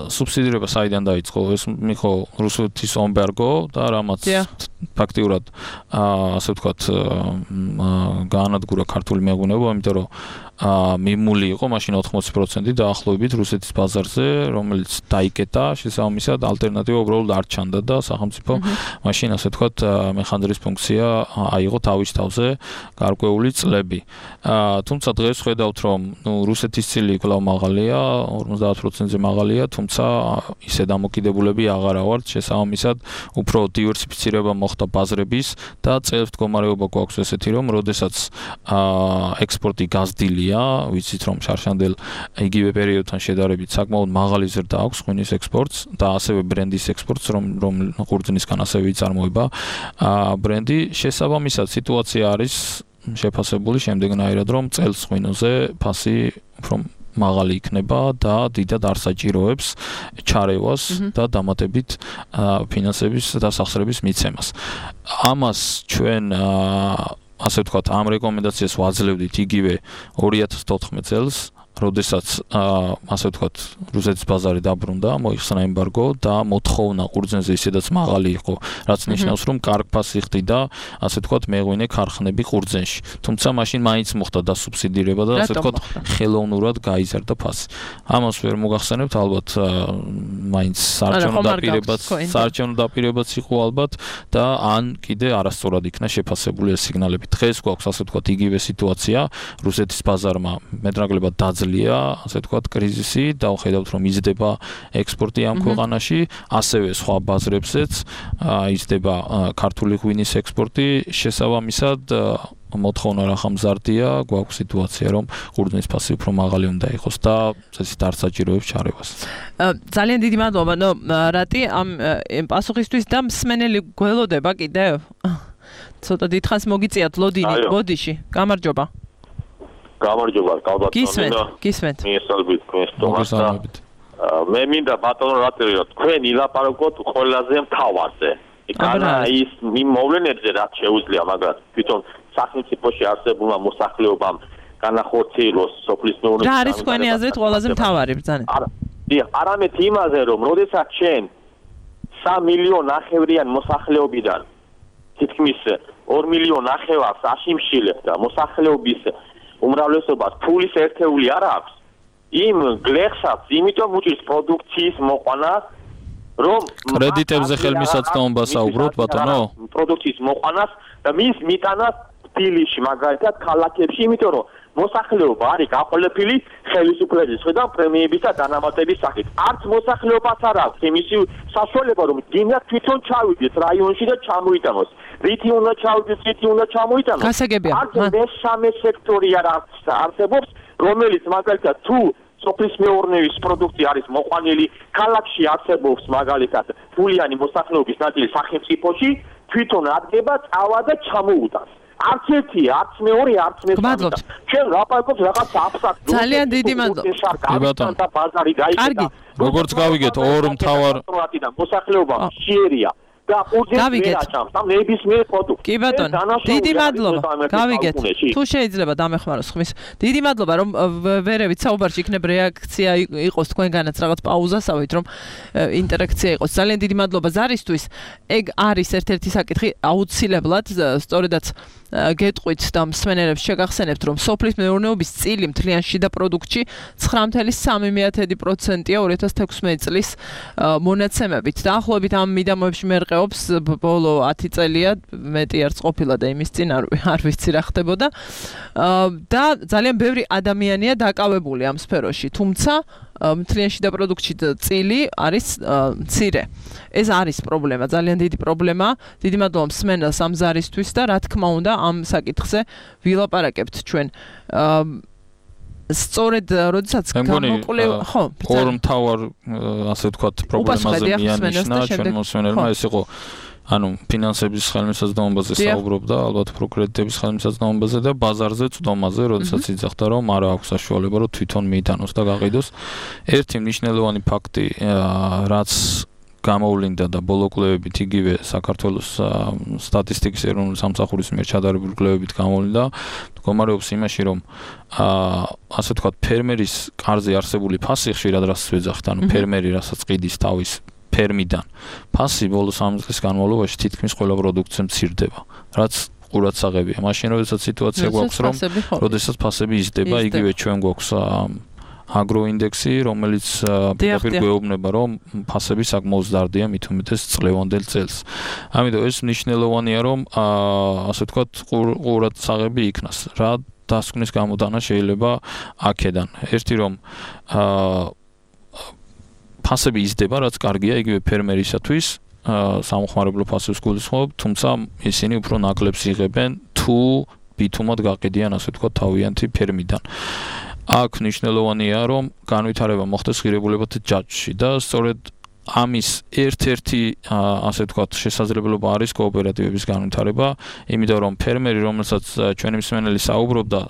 S4: სუბსიდირება საიდან დაიწყო? ეს მიხო რუსეთის ემბარგო და რამაც ფაქტიურად ასე ვთქვათ გაანადგურა ქართული მეღვინეობა, იმიტომ რომ მიმული იყო მაშინ 80% დაახლოებით რუსეთის ბაზარზე, რომელიც დაიკეტა, შესაბამისად ალტერნატივა უბრალოდ არ ჩანდა და სახელმწიფო მაშინ ასე ვთქვათ მეხანძრის ფუნქცია აიღო თავის თავზე გარკვეული წლები. თუმცა დღეს ხედავთ რომ რუსეთის წილი კვლავ მაღალია, 50%-ზე მაღალია, თუმცა ისე დამოკიდებულები აღარა ვართ, შესაბამისად უფრო დივერსიფიცირება მოხდა ბაზრების და წელს მდგომარეობა გვაქვს ესეთი რომ როდესაც ექსპორტი გაზრდილია, ვიცით რომ შარშანდელ იგივე პერიოდთან შედარებით საკმაოდ მაღალი ზრდა აქვს ღვინის ექსპორტს და ასევე ბრენდის ექსპორტს, რომ ყურძნისგან ასევე იწარმოება ბრენდი. შესაბამისად სიტუაცია არის შეფასებული შემდეგნაირად, რომ წელს ღვინოზე ფასი უფრო მაღალი იქნება და დიდად არ საჭიროებს ჩარევას და დამატებით ფინანსების და სახსრების მიცემას. ამას ჩვენ ასე ვთქვათ, ამ რეკომენდაციას ვაძლევდით იგივე 2014 წელს, როდესაც ასე ვთქვათ, რუსეთის ბაზარი დაბრუნდა, მოიხსნა ემბარგო და მოთხოვნა ყურძენზე ისედაც მაღალი იყო, რაც ნიშნავს, რომ კარგ ფასი ხდიდა, ასე ვთქვათ, მეღვინე ქარხნები ყურძენში. თუმცა მაშინ მაინც მოხდა დასუბსიდირება და ასე ვთქვათ, ხელოვნურად გაიზარდა ფასი. ამას ვერ მოგახსენებთ, ალბათ მაინც საარჩევნო დაპირებაც იყო ალბათ და ან კიდე არასწორად იქნა შეფასებული ეს სიგნალები. დღეს გვაქვს ასე ვთქვათ, იგივე სიტუაცია, რუსეთის ბაზარმა მეტნაკლებად დაძლევა შემდეგელია, ასე ვთქვათ, კრიზისი, დავხედავთ რომ იზრდება ექსპორტი ამ ქვეყანაში, ასევე სხვა ბაზრებზეც იზრდება ქართული ღვინის ექსპორტი, შესაბამისად მოთხოვნა რა ხამზარდია, გვაქვს სიტუაცია რომ ყურძნის ფასი უფრო მაღალი უნდა იყოს და წესით არ საჭიროებს ჩარევას.
S5: ძალიან დიდი მადლობა, რატი ამ პასუხისთვის და მსმენელი გველოდება კიდევ? ცოტა დიდხანს მოგიწიათ ლოდინი ბოდიში. გამარჯობა.
S10: გამარჯობა, კალბატონი.
S5: გისმენთ.
S10: მიესალმებით თქვენს თომასთან. მე მინდა ბატონო რატი თქვენ ილაპარაკოთ ყველაზე მთავარზე. იქანა ის მოვლენებზე რაც შეუძლია, მაგრამ თვითონ სახელმწიფოში არსებულმა მოსახლეობამ განახორციელოს სოფლის მეურნეობის.
S5: რა არის თქვენი აზრით ყველაზე მთავარი ბრძანება?
S10: არამედ იმაზე, რომ როდესაც ჩვენ 3 მილიონ ნახევრიან მოსახლეობიდან თითქმის 2 მილიონ ნახევარს აშიმშილებს და მოსახლეობის უმრავლესობას ფულის ერთეული არ აქვს, იმ გლეხსაც იმიტომ უჭირს პროდუქციის მოყვანა, რომ
S4: კრედიტებზე ხელმისაწვდომობა საუბრობთ ბატონო?
S10: პროდუქციის მოყვანას და მის მიტანას თბილისში, მაგალითად ქალაქებში, იმიტომ რომ მოსახლეობა არის გაყოლებული ხელისუფლების მხრიდან პრემიების და დანამატების სახით. არც მოსახლეობას არ აქვს იმისი საშუალება, რომ დინად თვითონ ჩავიდეს რაიონში და ჩამოიტანოს. რითი უნდა ჩავიდეს, რითი უნდა ჩამოიტანოს.
S5: გასაგებია.
S10: არც მესამე სექტორი არ არსებობს, რომელიც მაგალითად თუ სოფლის მეურნეობის პროდუქცია არის მოყვანილი, ქალაქში არსებობს მაგალითად ფულიანი მოსახლეობის ნაწილი სახელმწიფოში, თვითონ ადგება წავა და ჩამოუტანს. არც ერთი, არც მეორე, არც მესამე. ჩვენ ლაპარაკობთ რაღაც აბსტრაქტულ.
S5: ძალიან დიდი მადლობა.
S10: და ბაზარი გაიგეთ.
S4: როგორც გავიგეთ, ორ მთავარ
S10: მოსახლეობა შეერია. და
S5: გავიგეთ.
S10: ნებისმიერ პროდუქტს.
S5: კი ბატონო, დიდი მადლობა. გავიგეთ. თუ შეიძლება დამეხმაროს ხმის. დიდი მადლობა რომ ვერევით საუბარში იქნებ რეაქცია იყოს თქვენგანაც რაღაც პაუზასავით რომ ინტერაქცია იყოს. ძალიან დიდი მადლობა ზარისთვის. ეგ არის ერთ-ერთი საკითხი აუცილებლად სწორედაც გეტყვით და მსმენელებს შეგახსენებთ რომ სოფლის მეურნეობის წილი მთლიან შიდა პროდუქტში 9.3%-ია 2016 წლის მონაცემებით. დაახლოებით ამ მიდამოებში მერყეობს ბოლო 10 წელია, მეტი არც ყოფილა და იმის წინ არ ვიცი რა ხდებოდა. და ძალიან ბევრი ადამიანია დაკავებული ამ სფეროში, თუმცა მთლიან შიდა პროდუქტში წილი არის მცირე. ეს არის პრობლემა, ძალიან დიდი პრობლემა. დიდი მადლობა მსმენელს ამ ზარისთვის და რა თქმა უნდა ამ საკითხზე ვილაპარაკებთ ჩვენ. სწორედ როდესაც გამოკლევ, ხო,
S4: ორ მთავარ ასე ვთქვათ პრობლემაზე მიანიშნა ჩვენ მოსმენელმა, ეს იყო ანუ ფინანსების ხელმისაწვდომობაზე საუბრობდა, ალბათ პროკრედიტების ხელმისაწვდომობაზე და ბაზარზე წვდომაზე, როდესაც იძახდა რომ არ აქვს საშუალება რომ თვითონ მიიტანოს და გაყიდოს. ერთი მნიშვნელოვანი ფაქტი, რაც გამოვლინდა და ბოლო კვლევებით იგივე საქართველოს სტატისტიკის ეროვნული სამსახურის მიერ ჩადარებული კვლევებით გამოვლინდა, მდგომარეობს იმაში, რომ ასე ვთქვათ, ფერმერის კარზე არსებული ფასი ხშირად რასაც ვეძახით, ანუ ფერმერი რასაც ყიდის თავის ფერმიდან ფასი ბოლო 3 წლის განმავლობაში თითქმის ყველა პროდუქტზე მცირდება, რაც ყურადსაღებია. მაშინ როდესაც სიტუაცია გვაქვს, რომ როდესაც ფასები იზრდება, იგივე ჩვენ გვაქვს აგროინდექსი, რომელიც პირდაპირ გვეუბნება, რომ ფასები საკმაოდ ზარდია, მით უმეტეს წლევანდელ წელს. ამიტომ ეს მნიშვნელოვანია, რომ ასე ვთქვათ, ყურადსაღები იქნას. რა დასკვნის გამოტანა შეიძლება აქედან. ერთი რომ ფასები იზრდება, რაც კარგია იგივე ფერმერისათვის, სამხმარებლო ფასებს გულისხმობ, თუმცა ისინი უფრო ნაკლებს იღებენ, თუ ბითუმად გაყიდიან, ასე ვთქვათ, თავიანთი ფერმიდან. აქ მნიშვნელოვანია, რომ განვითარება მოხდეს ღირებულებათა ჯაჭვში და სწორედ ამის ერთ-ერთი ასე ვთქვათ შესაძლებლობა არის კოოპერატივების განვითარება, იმიტომ რომ ფერმერი, რომელსაც ჩვენი მსმენელი საუბრობდა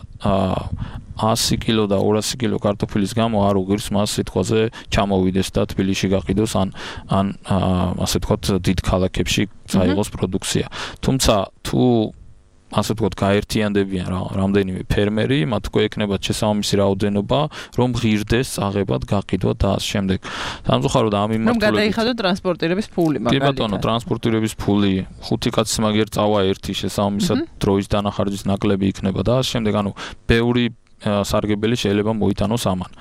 S4: 100 კილო და 200 კილო კარტოფილის გამო არ უღირს მას სიტყვაზე ჩამოვიდეს და თბილისში გაყიდოს ან ასე ვთქვათ დიდ ქალაქებში წაიღოს პროდუქცია. თუმცა თუ ასე ვთქვათ გაერთიანდებიან რამდენიმე ფერმერი, მათ უკვე ექნებათ შესაბამისი რაოდენობა, რომ ღირდეს წაღებად, გაყიდვად და ამ შემდეგ. სამწუხაროდ ამ მიმართულებით
S5: რომ გადაიხადოს ტრანსპორტირების ფული მაგალითად.
S4: კი ბატონო, ტრანსპორტირების ფული 5 კაცის მაგერ წავა ერთი შესაბამისად დროის დანახარჯის ნაკლები იქნება და ამ შემდეგ ანუ ბევრი სარგებელი შეიძლება მოიტანოს ამან.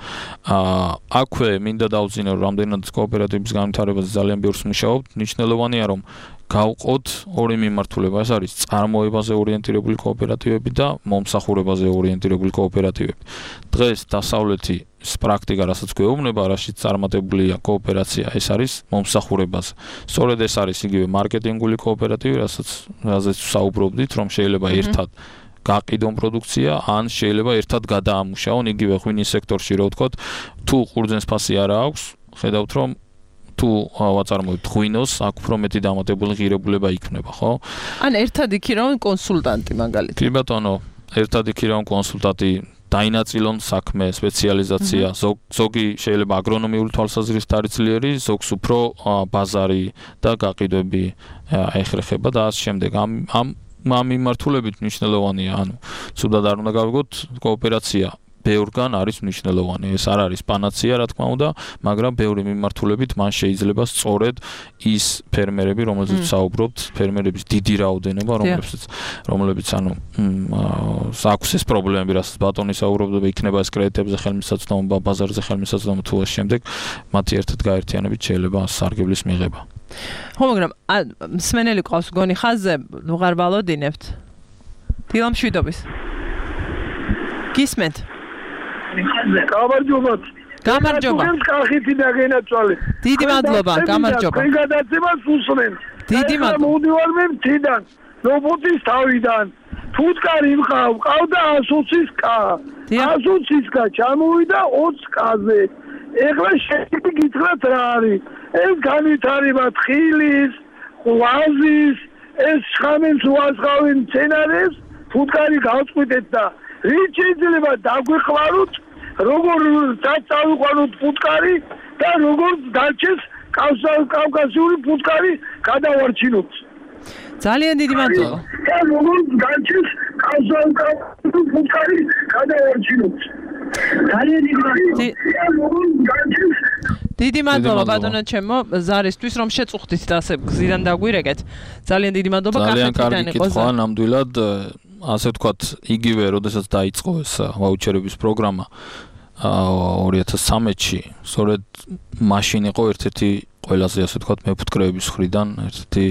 S4: აქვე მინდა დავძინო, რომ რამდენად კოოპერატივების განვითარებაზე ძალიან ბევრს მუშაობთ. მნიშვნელოვანია, რომ გავყოთ ორი მიმართულება, ეს არის წარმოებაზე ორიენტირებული კოოპერატივები და მომსახურებაზე ორიენტირებული კოოპერატივები. დღეს დასავლეთი პრაქტიკა, რასაც გვეუბნება, რაშიც წარმატებულია კოოპერაცია, ეს არის მომსახურებაზე. სწორედ ეს არის იგივე მარკეტინგული კოოპერატივი, რაზეც საუბრობდით, რომ შეიძლება ერთად გაყიდონ პროდუქცია, ან შეიძლება ერთად გადაამუშავონ იგივე ღვინის სექტორში, რო ვთქვათ, თუ ყურძნის ფასი არა აქვს, ხედავთ რომ თუ ვაწარმოებთ ღვინოს, აქ უფრო მეტი დამატებული ღირებულება იქნება, ხო?
S5: ან ერთად იქირავენ კონსულტანტი მაგალითად.
S4: კი ბატონო, ერთად იქირავენ კონსულტანტი, დაინაწილონ საქმე, სპეციალიზაცია, ზოგი შეიძლება აგრონომიული თვალსაზრისით არის ძლიერი, ზოგს უფრო ბაზარი და გაყიდვები ეხერხება და ასე შემდეგ. ამ მიმართულებით მნიშვნელოვანია, ანუ ცუდად არ უნდა გავიგოთ, კოოპერაცია ბევრგან არის მნიშვნელოვანი. ეს არ არის პანაცეა, რა თქმა უნდა, მაგრამ ბევრი მიმართულებით მან შეიძლება სწორედ ის ფერმერები, რომელზეც საუბრობთ, ფერმერების დიდი რაოდენობა, რომლებიც ანუ აქვს ეს პრობლემები, რასაც ბატონი საუბრობდა, იქნება ეს კრედიტებზე ხელმისაწვდომობა, ბაზარზე ხელმისაწვდომობა თუ ამ შემდეგ, მათი ერთად გაერთიანებით შეიძლება სარგებლის მიღება.
S5: ხო, მაგრამ მსმენელი ყავს გონი ხაზზე, ვღარ ვალოდინებთ. დილამშვიდობის. გისმენთ?
S11: გამარჯობათ.
S5: გამარჯობა.
S11: კახეთი და გენაცვალე.
S5: დიდი მადლობა, გამარჯობა.
S11: თქვენ გადაცემას უსმენ.
S5: დიდი მადლობა.
S11: მოვდივარ მე მთიდან, რობოტის თავიდან. ფუტკარი მყავდა 120-ის კა. 120-ის კა ჩამოვიდა 20 კაზე. ეხლა შეიძლება გითხრათ რა არის. ეს განვითარება თხილის, ღვაზის, ეს შხამის უასხავენ მცენარეს, ფუტკარი გავწყვიტეთ და რით შეიძლება დაგვიყვაროთ, როგორ დაწავიყვანოთ ფუტკარი და როგორ დაჩეს კავკასიური ფუტკარი გადავარჩინოთ.
S5: ძალიან დიდი მადლობა.
S11: და როგორ დაჩეს კავკასიური ფუტკარი გადავარჩინოთ. ძალიან დიდი მადლობა.
S5: დიდი მადლობა ბატონო ჩემო ზარისთვის რომ შეწუხდით და ასე გზიდან დაგვირეკეთ. ძალიან დიდი მადლობა
S4: კახეთიდან იყო. ძალიან კარგი კითხვა, ნამდვილად ასე ვთქვათ, იგივე, როდესაც დაიწყო ეს ვაუჩერების პროგრამა 2013-ში, სწორედ მაშინ იყო ერთ-ერთი ყველაზე ასე ვთქვათ მეფუტკრეების მხრიდან ერთ-ერთი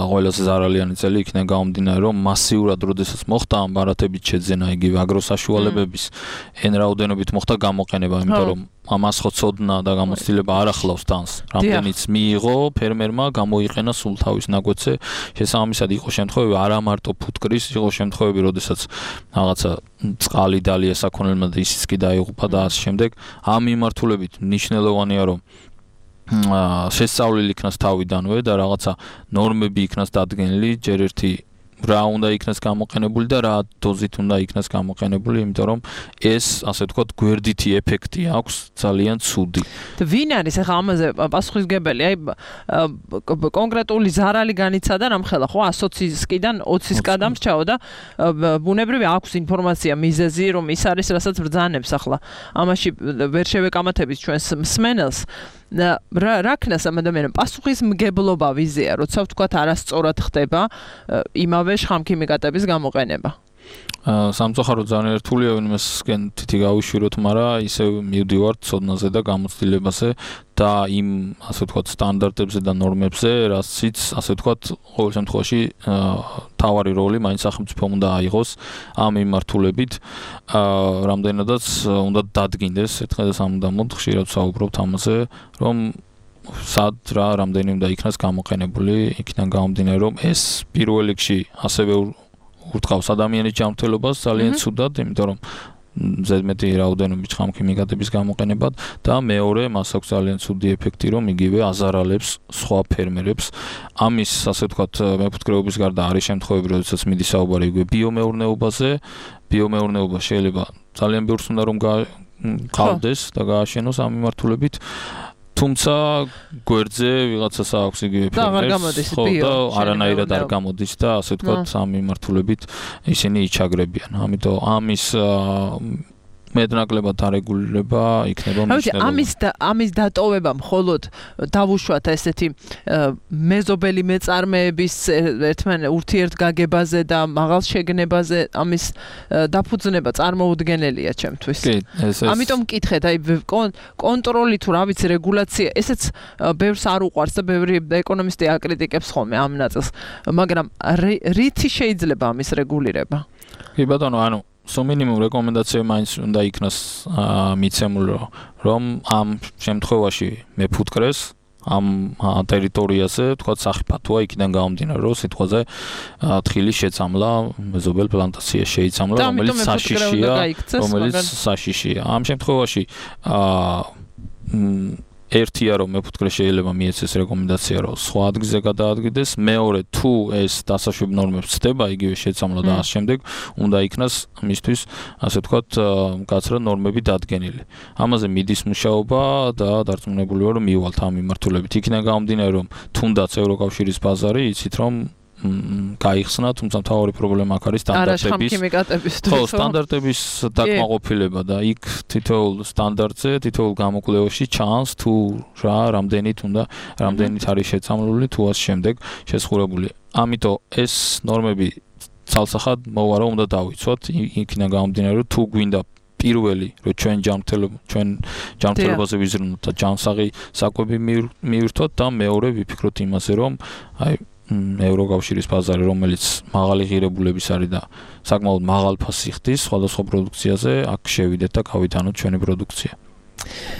S4: ყველაზე ზარალიანი წელი იქნა გამომდინარე, რომ მასიურად როდესაც მოხდა ამ ბარათებით შეძენა იგივე აგროსაშუალებების εν რაოდენობით მოხდა გამოყენება, იმიტომ რომ ამას ხო ცოდნა და გამოცდილება არ ახლავს თანს. რამდენიც მიიღო ფერმერმა, გამოიყენა სულ თავის ნაგვეცე. შესაბამისად იყო შემთხვევები არა მარტო ფუტკრის, იყო შემთხვევები, როდესაც რაღაცა წყალი დალია საქონელმა და ისიც კი დაიღუპა და ასე შემდეგ. ამ მიმართულებით მნიშვნელოვანია, რომ შესწავლილი იქნას თავიდანვე და რაღაცა ნორმები იქნას დადგენილი, ჯერ ერთი რა უნდა იქნას გამოყენებული და რა დოზით უნდა იქნას გამოყენებული, იმიტომ რომ ეს, ასე ვთქვათ, გვერდითი ეფექტი აქვს ძალიან ცუდი.
S5: და ვინ არის ახლა ამაზე პასუხისმგებელი? აი კონკრეტული ზარალი განიცადა რამხელა, ხო, 120-ისკიდან 20-ის გადამრჩაო და ბუნებრივი აქვს ინფორმაცია მიზეზი, რომ ის არის, რასაც ბრძანებს ახლა. ამაში ვერ შევეკამათებით ჩვენს მსმენელს. რა ქნას ამ ადამიანს პასუხისმგებლობა ვიზია, როცა ვთქვათ არასწორად ხდება იმავე შხამქიმიკატების გამოყენება.
S4: სამწუხაროდ ძალიან რთულია ვინმესკენ თითი გავიშვიროთ, მაგრამ ისე მივდივართ ცოდნაზე და გამოცდილებაზე და იმ, ასე ვთქვათ, სტანდარტებზე და ნორმებზე, რაციც, ასე ვთქვათ, ყოველ შემთხვევაში თავარი როლი მაინც სახელმწიფომ უნდა აიღოს ამ მიმართულებით. რამდენადაც უნდა დადგინდეს ერთხელ და სამუდამოდ ხშირად საუბრობთ ამაზე, რომ სად რა რამდენი უნდა იქნას გამოყენებული, იქიდან გამომდინარე, რომ ეს პირველ რიგში ასევე ურტყავს ადამიანის ჯანმრთელობას ძალიან ცუდად, იმიტომ რომ ზედმეტი რაოდენობით შხამქიმიკატების გამოყენებად და მეორე მას აქვს ძალიან ცუდი ეფექტი, რომ იგივე აზარალებს სხვა ფერმერებს. ამის, ასე ვთქვათ, მეფუტკრეობის გარდა არის შემთხვევები, როდესაც მიდის საუბარი იგივე ბიომეურნეობაზე. ბიომეურნეობა შეიძლება ძალიან ბევრს უნდა რომ გავდეს და გააშენოს ამ მიმართულებით. თუმცა გვერდზე ვიღაცას აქვს იგივე
S5: ფერმერს,
S4: ხო და არანაირად არ გამოდის და ასე ვთქვათ ამ მიმართულებით ისინი იჩაგრებიან. ამიტომ ამის მეტნაკლებად დარეგულირება იქნება
S5: მნიშვნელოვანი. ამის დატოვება მხოლოდ დავუშვათ ესეთი მეზობელი მეწარმეების ერთმანეთს ურთიერთგაგებაზე და მაღალ შეგნებაზე ამის დაფუძნება წარმოუდგენელია ჩემთვის. ამიტომ მკითხეთ, აი კონტროლი თუ რა ვიცი რეგულაცია, ესეც ბევრს არ უყვარს და ბევრი ეკონომისტი აკრიტიკებს ხოლმე ამ ნაწილს, მაგრამ რითი შეიძლება ამის რეგულირება?
S4: კი ბატონო, ანუ მინიმუმ რეკომენდაცია მაინც უნდა იქნას მიცემული, რომ ამ შემთხვევაში მეფუტკრეს ამ ტერიტორიაზე, თქვა სახიფათოა იქიდან გამომდინარე, რომ სიტყვაზე თხილის შეცამლა მეზობელ პლანტაციაში შეიცამლა, რომელიც საშიშია. ამ შემთხვევაში ერთია რომ მეფუტკრე შეიძლება მიეცეს რეკომენდაცია რომ სხვა ადგილზე გადაადგილდეს, მეორე თუ ეს დასაშვებ ნორმებს ცდება იგივე შეცამლა და ამ შემდეგ უნდა იქნას მისთვის ასე ვთქვათ გაცრა ნორმები დადგენილი. ამაზე მიდის მუშაობა და დარწმუნებულია რომ მივალთ ამ მიმართულებით. იქიდან გამომდინარე რომ თუნდაც ევროკავშირის ბაზარი იცით რომ გაიხსნა, თუმცა მთავარი პრობლემა აქ არის სტანდარტების დაკმაყოფილება და იქ თითოეულ სტანდარტზე, თითოეულ გამოკვლევაში ჩანს თუ რამდენით არის შეცამლული თუ ამ შემდეგ შესხურებული. ამიტომ ეს ნორმები ცალსახად მოვა რომ უნდა დავიცვათ, იქიდან გამომდინარე რომ თუ გვინდა პირველი რომ ჩვენ ჯანმრთელობაზე ვიზრუნოთ და ჯანსაღი საკვები მივირთვათ და მეორე ვიფიქროთ იმაზე რომ აი ევროკავშირის ბაზარი რომელიც მაღალი ღირებულების არის და საკმაოდ მაღალ ფასს იხდის სხვადასხვა პროდუქციაზე აქ შევიდეთ და გავიტანოთ ჩვენი პროდუქცია.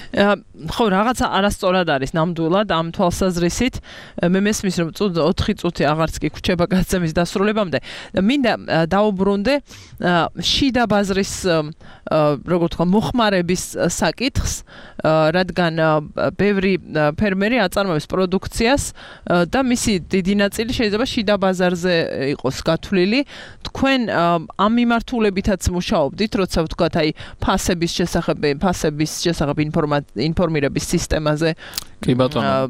S5: ხო, რაღაცა არასწორად არის ნამდვილად ამ თვალსაზრისით. მე მესმის რომ 4 წუთი აღარც კი გვჩება გადაცემის დასრულებამდე. მინდა დაუბრუნდე შიდა ბაზრის როგორ თქვა მოხმარების საკითხს, რადგან ბევრი ფერმერი აწარმოებს პროდუქციას და მისი დიდი ნაწილი შეიძლება შიდა ბაზარზე იყოს გათვლილი. თქვენ ამ მიმართულებითაც მუშაობდით, როცა ვთქვათ აი ფასების შესახებ ინფორმირების სისტემაზე.
S4: კი ბატონო,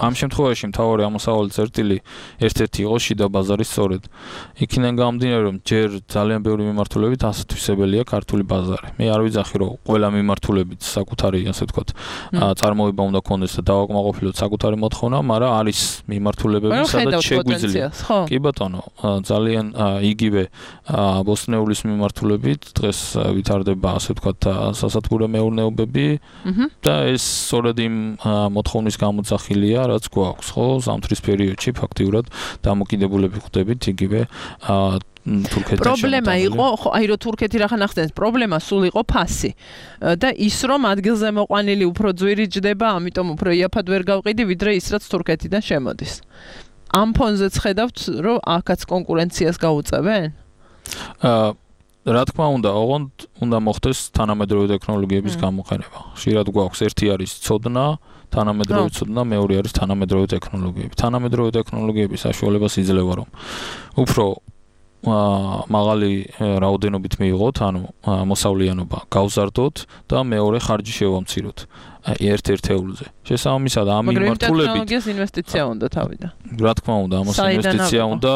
S4: ამ შემთხვევაში მთავარი ამოსავალი წერტილი ერთ-ერთი იყო შიდა ბაზარი სწორედ. იქიდან გამომდინარე რომ ჯერ ძალიან ბევრი მიმართულებით ასათვისებელია ქართული ბაზარი. მე არ ვიძახი რომ ყველა მიმართულებით საკუთარი ასე ვთქვათ წარმოება უნდა ქონდეს და დავაკმაყოფილოთ საკუთარი მოთხოვნა, მაგრამ არის მიმართულებები სადაც შეგვიძლია. კი ბატონო, ძალიან იგივე ბოსტნეულის მიმართულებით დღეს ვითარდება ასე ვთქვათ სასათბურე მეურნეობები და ეს სწორედ მოთხოვნის გამოძახილია, რაც გვაქვს, ხო? ზამთრის პერიოდში ფაქტიურად დამოკიდებულები ხდებით იგივე თურქეთთან.
S5: პრობლემა იყო, ხო, აი რომ თურქეთი რახან ახდენს, პრობლემა სულ იყო ფასი. და ის რომ ადგილზე მოყვანილი უფრო ძვირი ჯდება, ამიტომ უფრო იაფად ვერ გავყიდი, ვიდრე ის რაც თურქეთიდან შემოდის. ამ ფონზეც ხედავთ, რომ აქაც კონკურენციას გაუწევენ?
S4: რა თქმა უნდა, ოღონდ უნდა მოხდეს თანამედროვე ტექნოლოგიების გამოყენება. ხშირად გვაქვს ერთი არის ცოდნა, თანამედროვე ცოდნა, მეორე არის თანამედროვე ტექნოლოგიები. თანამედროვე ტექნოლოგიების საშუალებას იძლევა რომ უფრო მაღალი რაოდენობით მიიღოთ, ანუ მოსავლიანობა გავზარდოთ და მეორე ხარჯი შევამციროთ. ერთ-ერთეულზე. შესაბამისად, ამ მიმართულებით
S5: ტექნოლოგიას ინვესტიცია უნდა თავიდან.
S4: რა თქმა უნდა, ამას ინვესტიცია უნდა,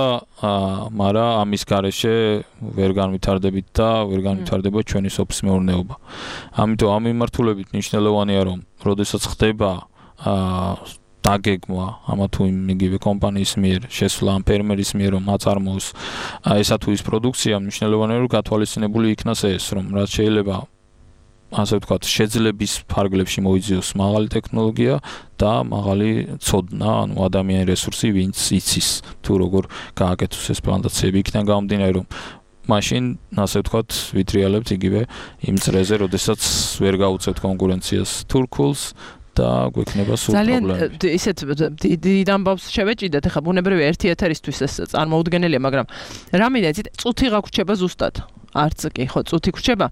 S4: მაგრამ ამის გარეშე ვერ განვითარდებით და ვერ განვითარდება ჩვენი სოფლის მეურნეობა. ამიტომ ამ მიმართულებით მნიშვნელოვანია, რომ როდესაც ხდება დაგეგმვა ამა თუ იგივე კომპანიის მიერ შესვლა ამ ფერმერის მიერ რომ აწარმოოს ესა თუ ის პროდუქცია, მნიშვნელოვანია რომ გათვალისწინებული იქნას ეს, რომ რაც შეიძლება ასე ვთქვათ, შეძლების ფარგლებში მოიძიოს მაღალი ტექნოლოგია და მაღალი ცოდნა, ანუ ადამიანური რესურსი, ვინც იცის თუ როგორ გააკეთოს ეს პლანტაციები. იქიდან გამომდინარე, რომ მაშინ ასე ვთქვათ, ვითრიალებთ იგივე იმ წრეზე, როდესაც ვერ გაუწევთ კონკურენციას თურქულს და გვექნება სულ პრობლემები.
S5: ძალიან ისეთ დიდ ამბავს შევეჭიდეთ, ახლა ბუნებრივი ერთი ეთერისთვის ეს წარმოუდგენელია, მაგრამ რა მინდა იცით, წუთი გაგვრჩება ზუსტად. არც კი, ხო, წუთი გვრჩება.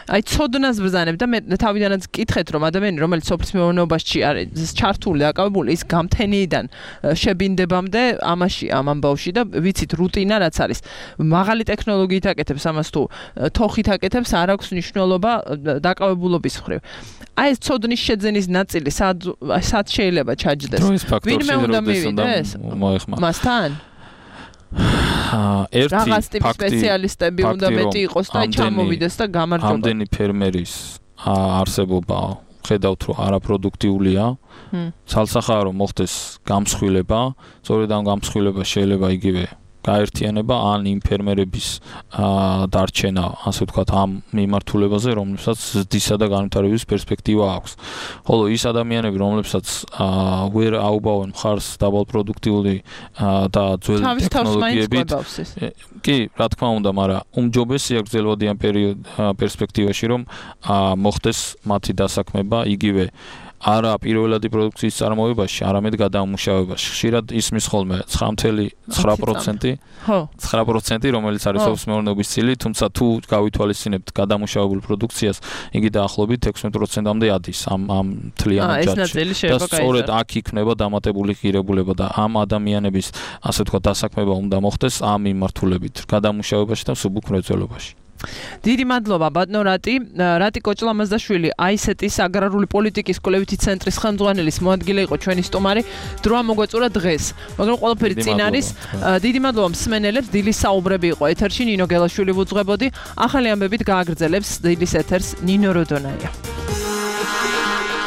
S5: აი ცოდნას ბრძანებ და მე თავიდანაც გკითხეთ, რომ ადამიანი, რომელიც სოფლის მეურნეობაში არის ჩართული, დაკავებული, ის გამთენიიდან შებინდებამდე ამაში, ამ ამბავში და ვიცით რუტინა რაც არის. მაღალი ტექნოლოგიით აკეთებს ამას თუ თოხით აკეთებს, არ აქვს მნიშვნელობა დაკავებულობის მხრივ. აი ეს ცოდნის შეძენის ნაწილი სად შეიძლება ჩაჯდეს?
S4: ვინმე უნდა
S5: მივიდეს მასთან? რაღაც ტიპის სპეციალისტები უნდა მეტი იყოს და ჩამოვიდეს და გამარჯობა.
S4: ამდენი ფერმერის არსებობა ხედავთ რომ არაპროდუქტიულია. ცალსახაა რომ მოხდეს გამსხვილება, სწორედ ამ გამსხვილებას შეიძლება იგივე გაერთიანება ან იმ ფერმერების დარჩენა, ასე ვთქვათ, ამ მიმართულებაზე, რომლებსაც ზრდისა და განვითარების პერსპექტივა აქვს. ხოლო ის ადამიანები, რომლებსაც ვერ აუბავენ მხარს დაბალპროდუქტიული და ძველი ტექნოლოგიებით, კი, რა თქმა უნდა, მაგრამ უმჯობესია გრძელვადიან პერსპექტივაში, რომ მოხდეს მათი დასაქმება იგივე არა პირველადი პროდუქციის წარმოებაში, არამედ გადამუშავებაში. ხშირად ისმის ხოლმე 9.9%, 9%, რომელიც არის სოფლის მეურნეობის წილი, თუმცა თუ გავითვალისწინებთ გადამუშავებულ პროდუქციას, იგი დაახლოებით 16%-მდე ადის ამ მთლიან ჯაჭვში. და სწორედ აქ იქნება დამატებული ღირებულება და ამ ადამიანების, ასე ვთქვათ, დასაქმება უნდა მოხდეს ამ მიმართულებით, გადამუშავებაში და მსუბუქ მრეწველობაში.
S5: დიდი მადლობა ბატონო რატი კოჭლამაზაშვილი აისეტის აგრარული პოლიტიკის კვლევითი ცენტრის ხელმძღვანელის მოადგილე იყო ჩვენი სტუმარი დროა მოგვეწურა დღეს მაგრამ ყველაფერი წინ არის დიდი მადლობა მსმენელებს დილის საუბრები იყო ეთერში ნინო გელაშვილი ვუძღვებოდი ახალი ამბებით გააგრძელებს დილის ეთერს ნინო როდონაია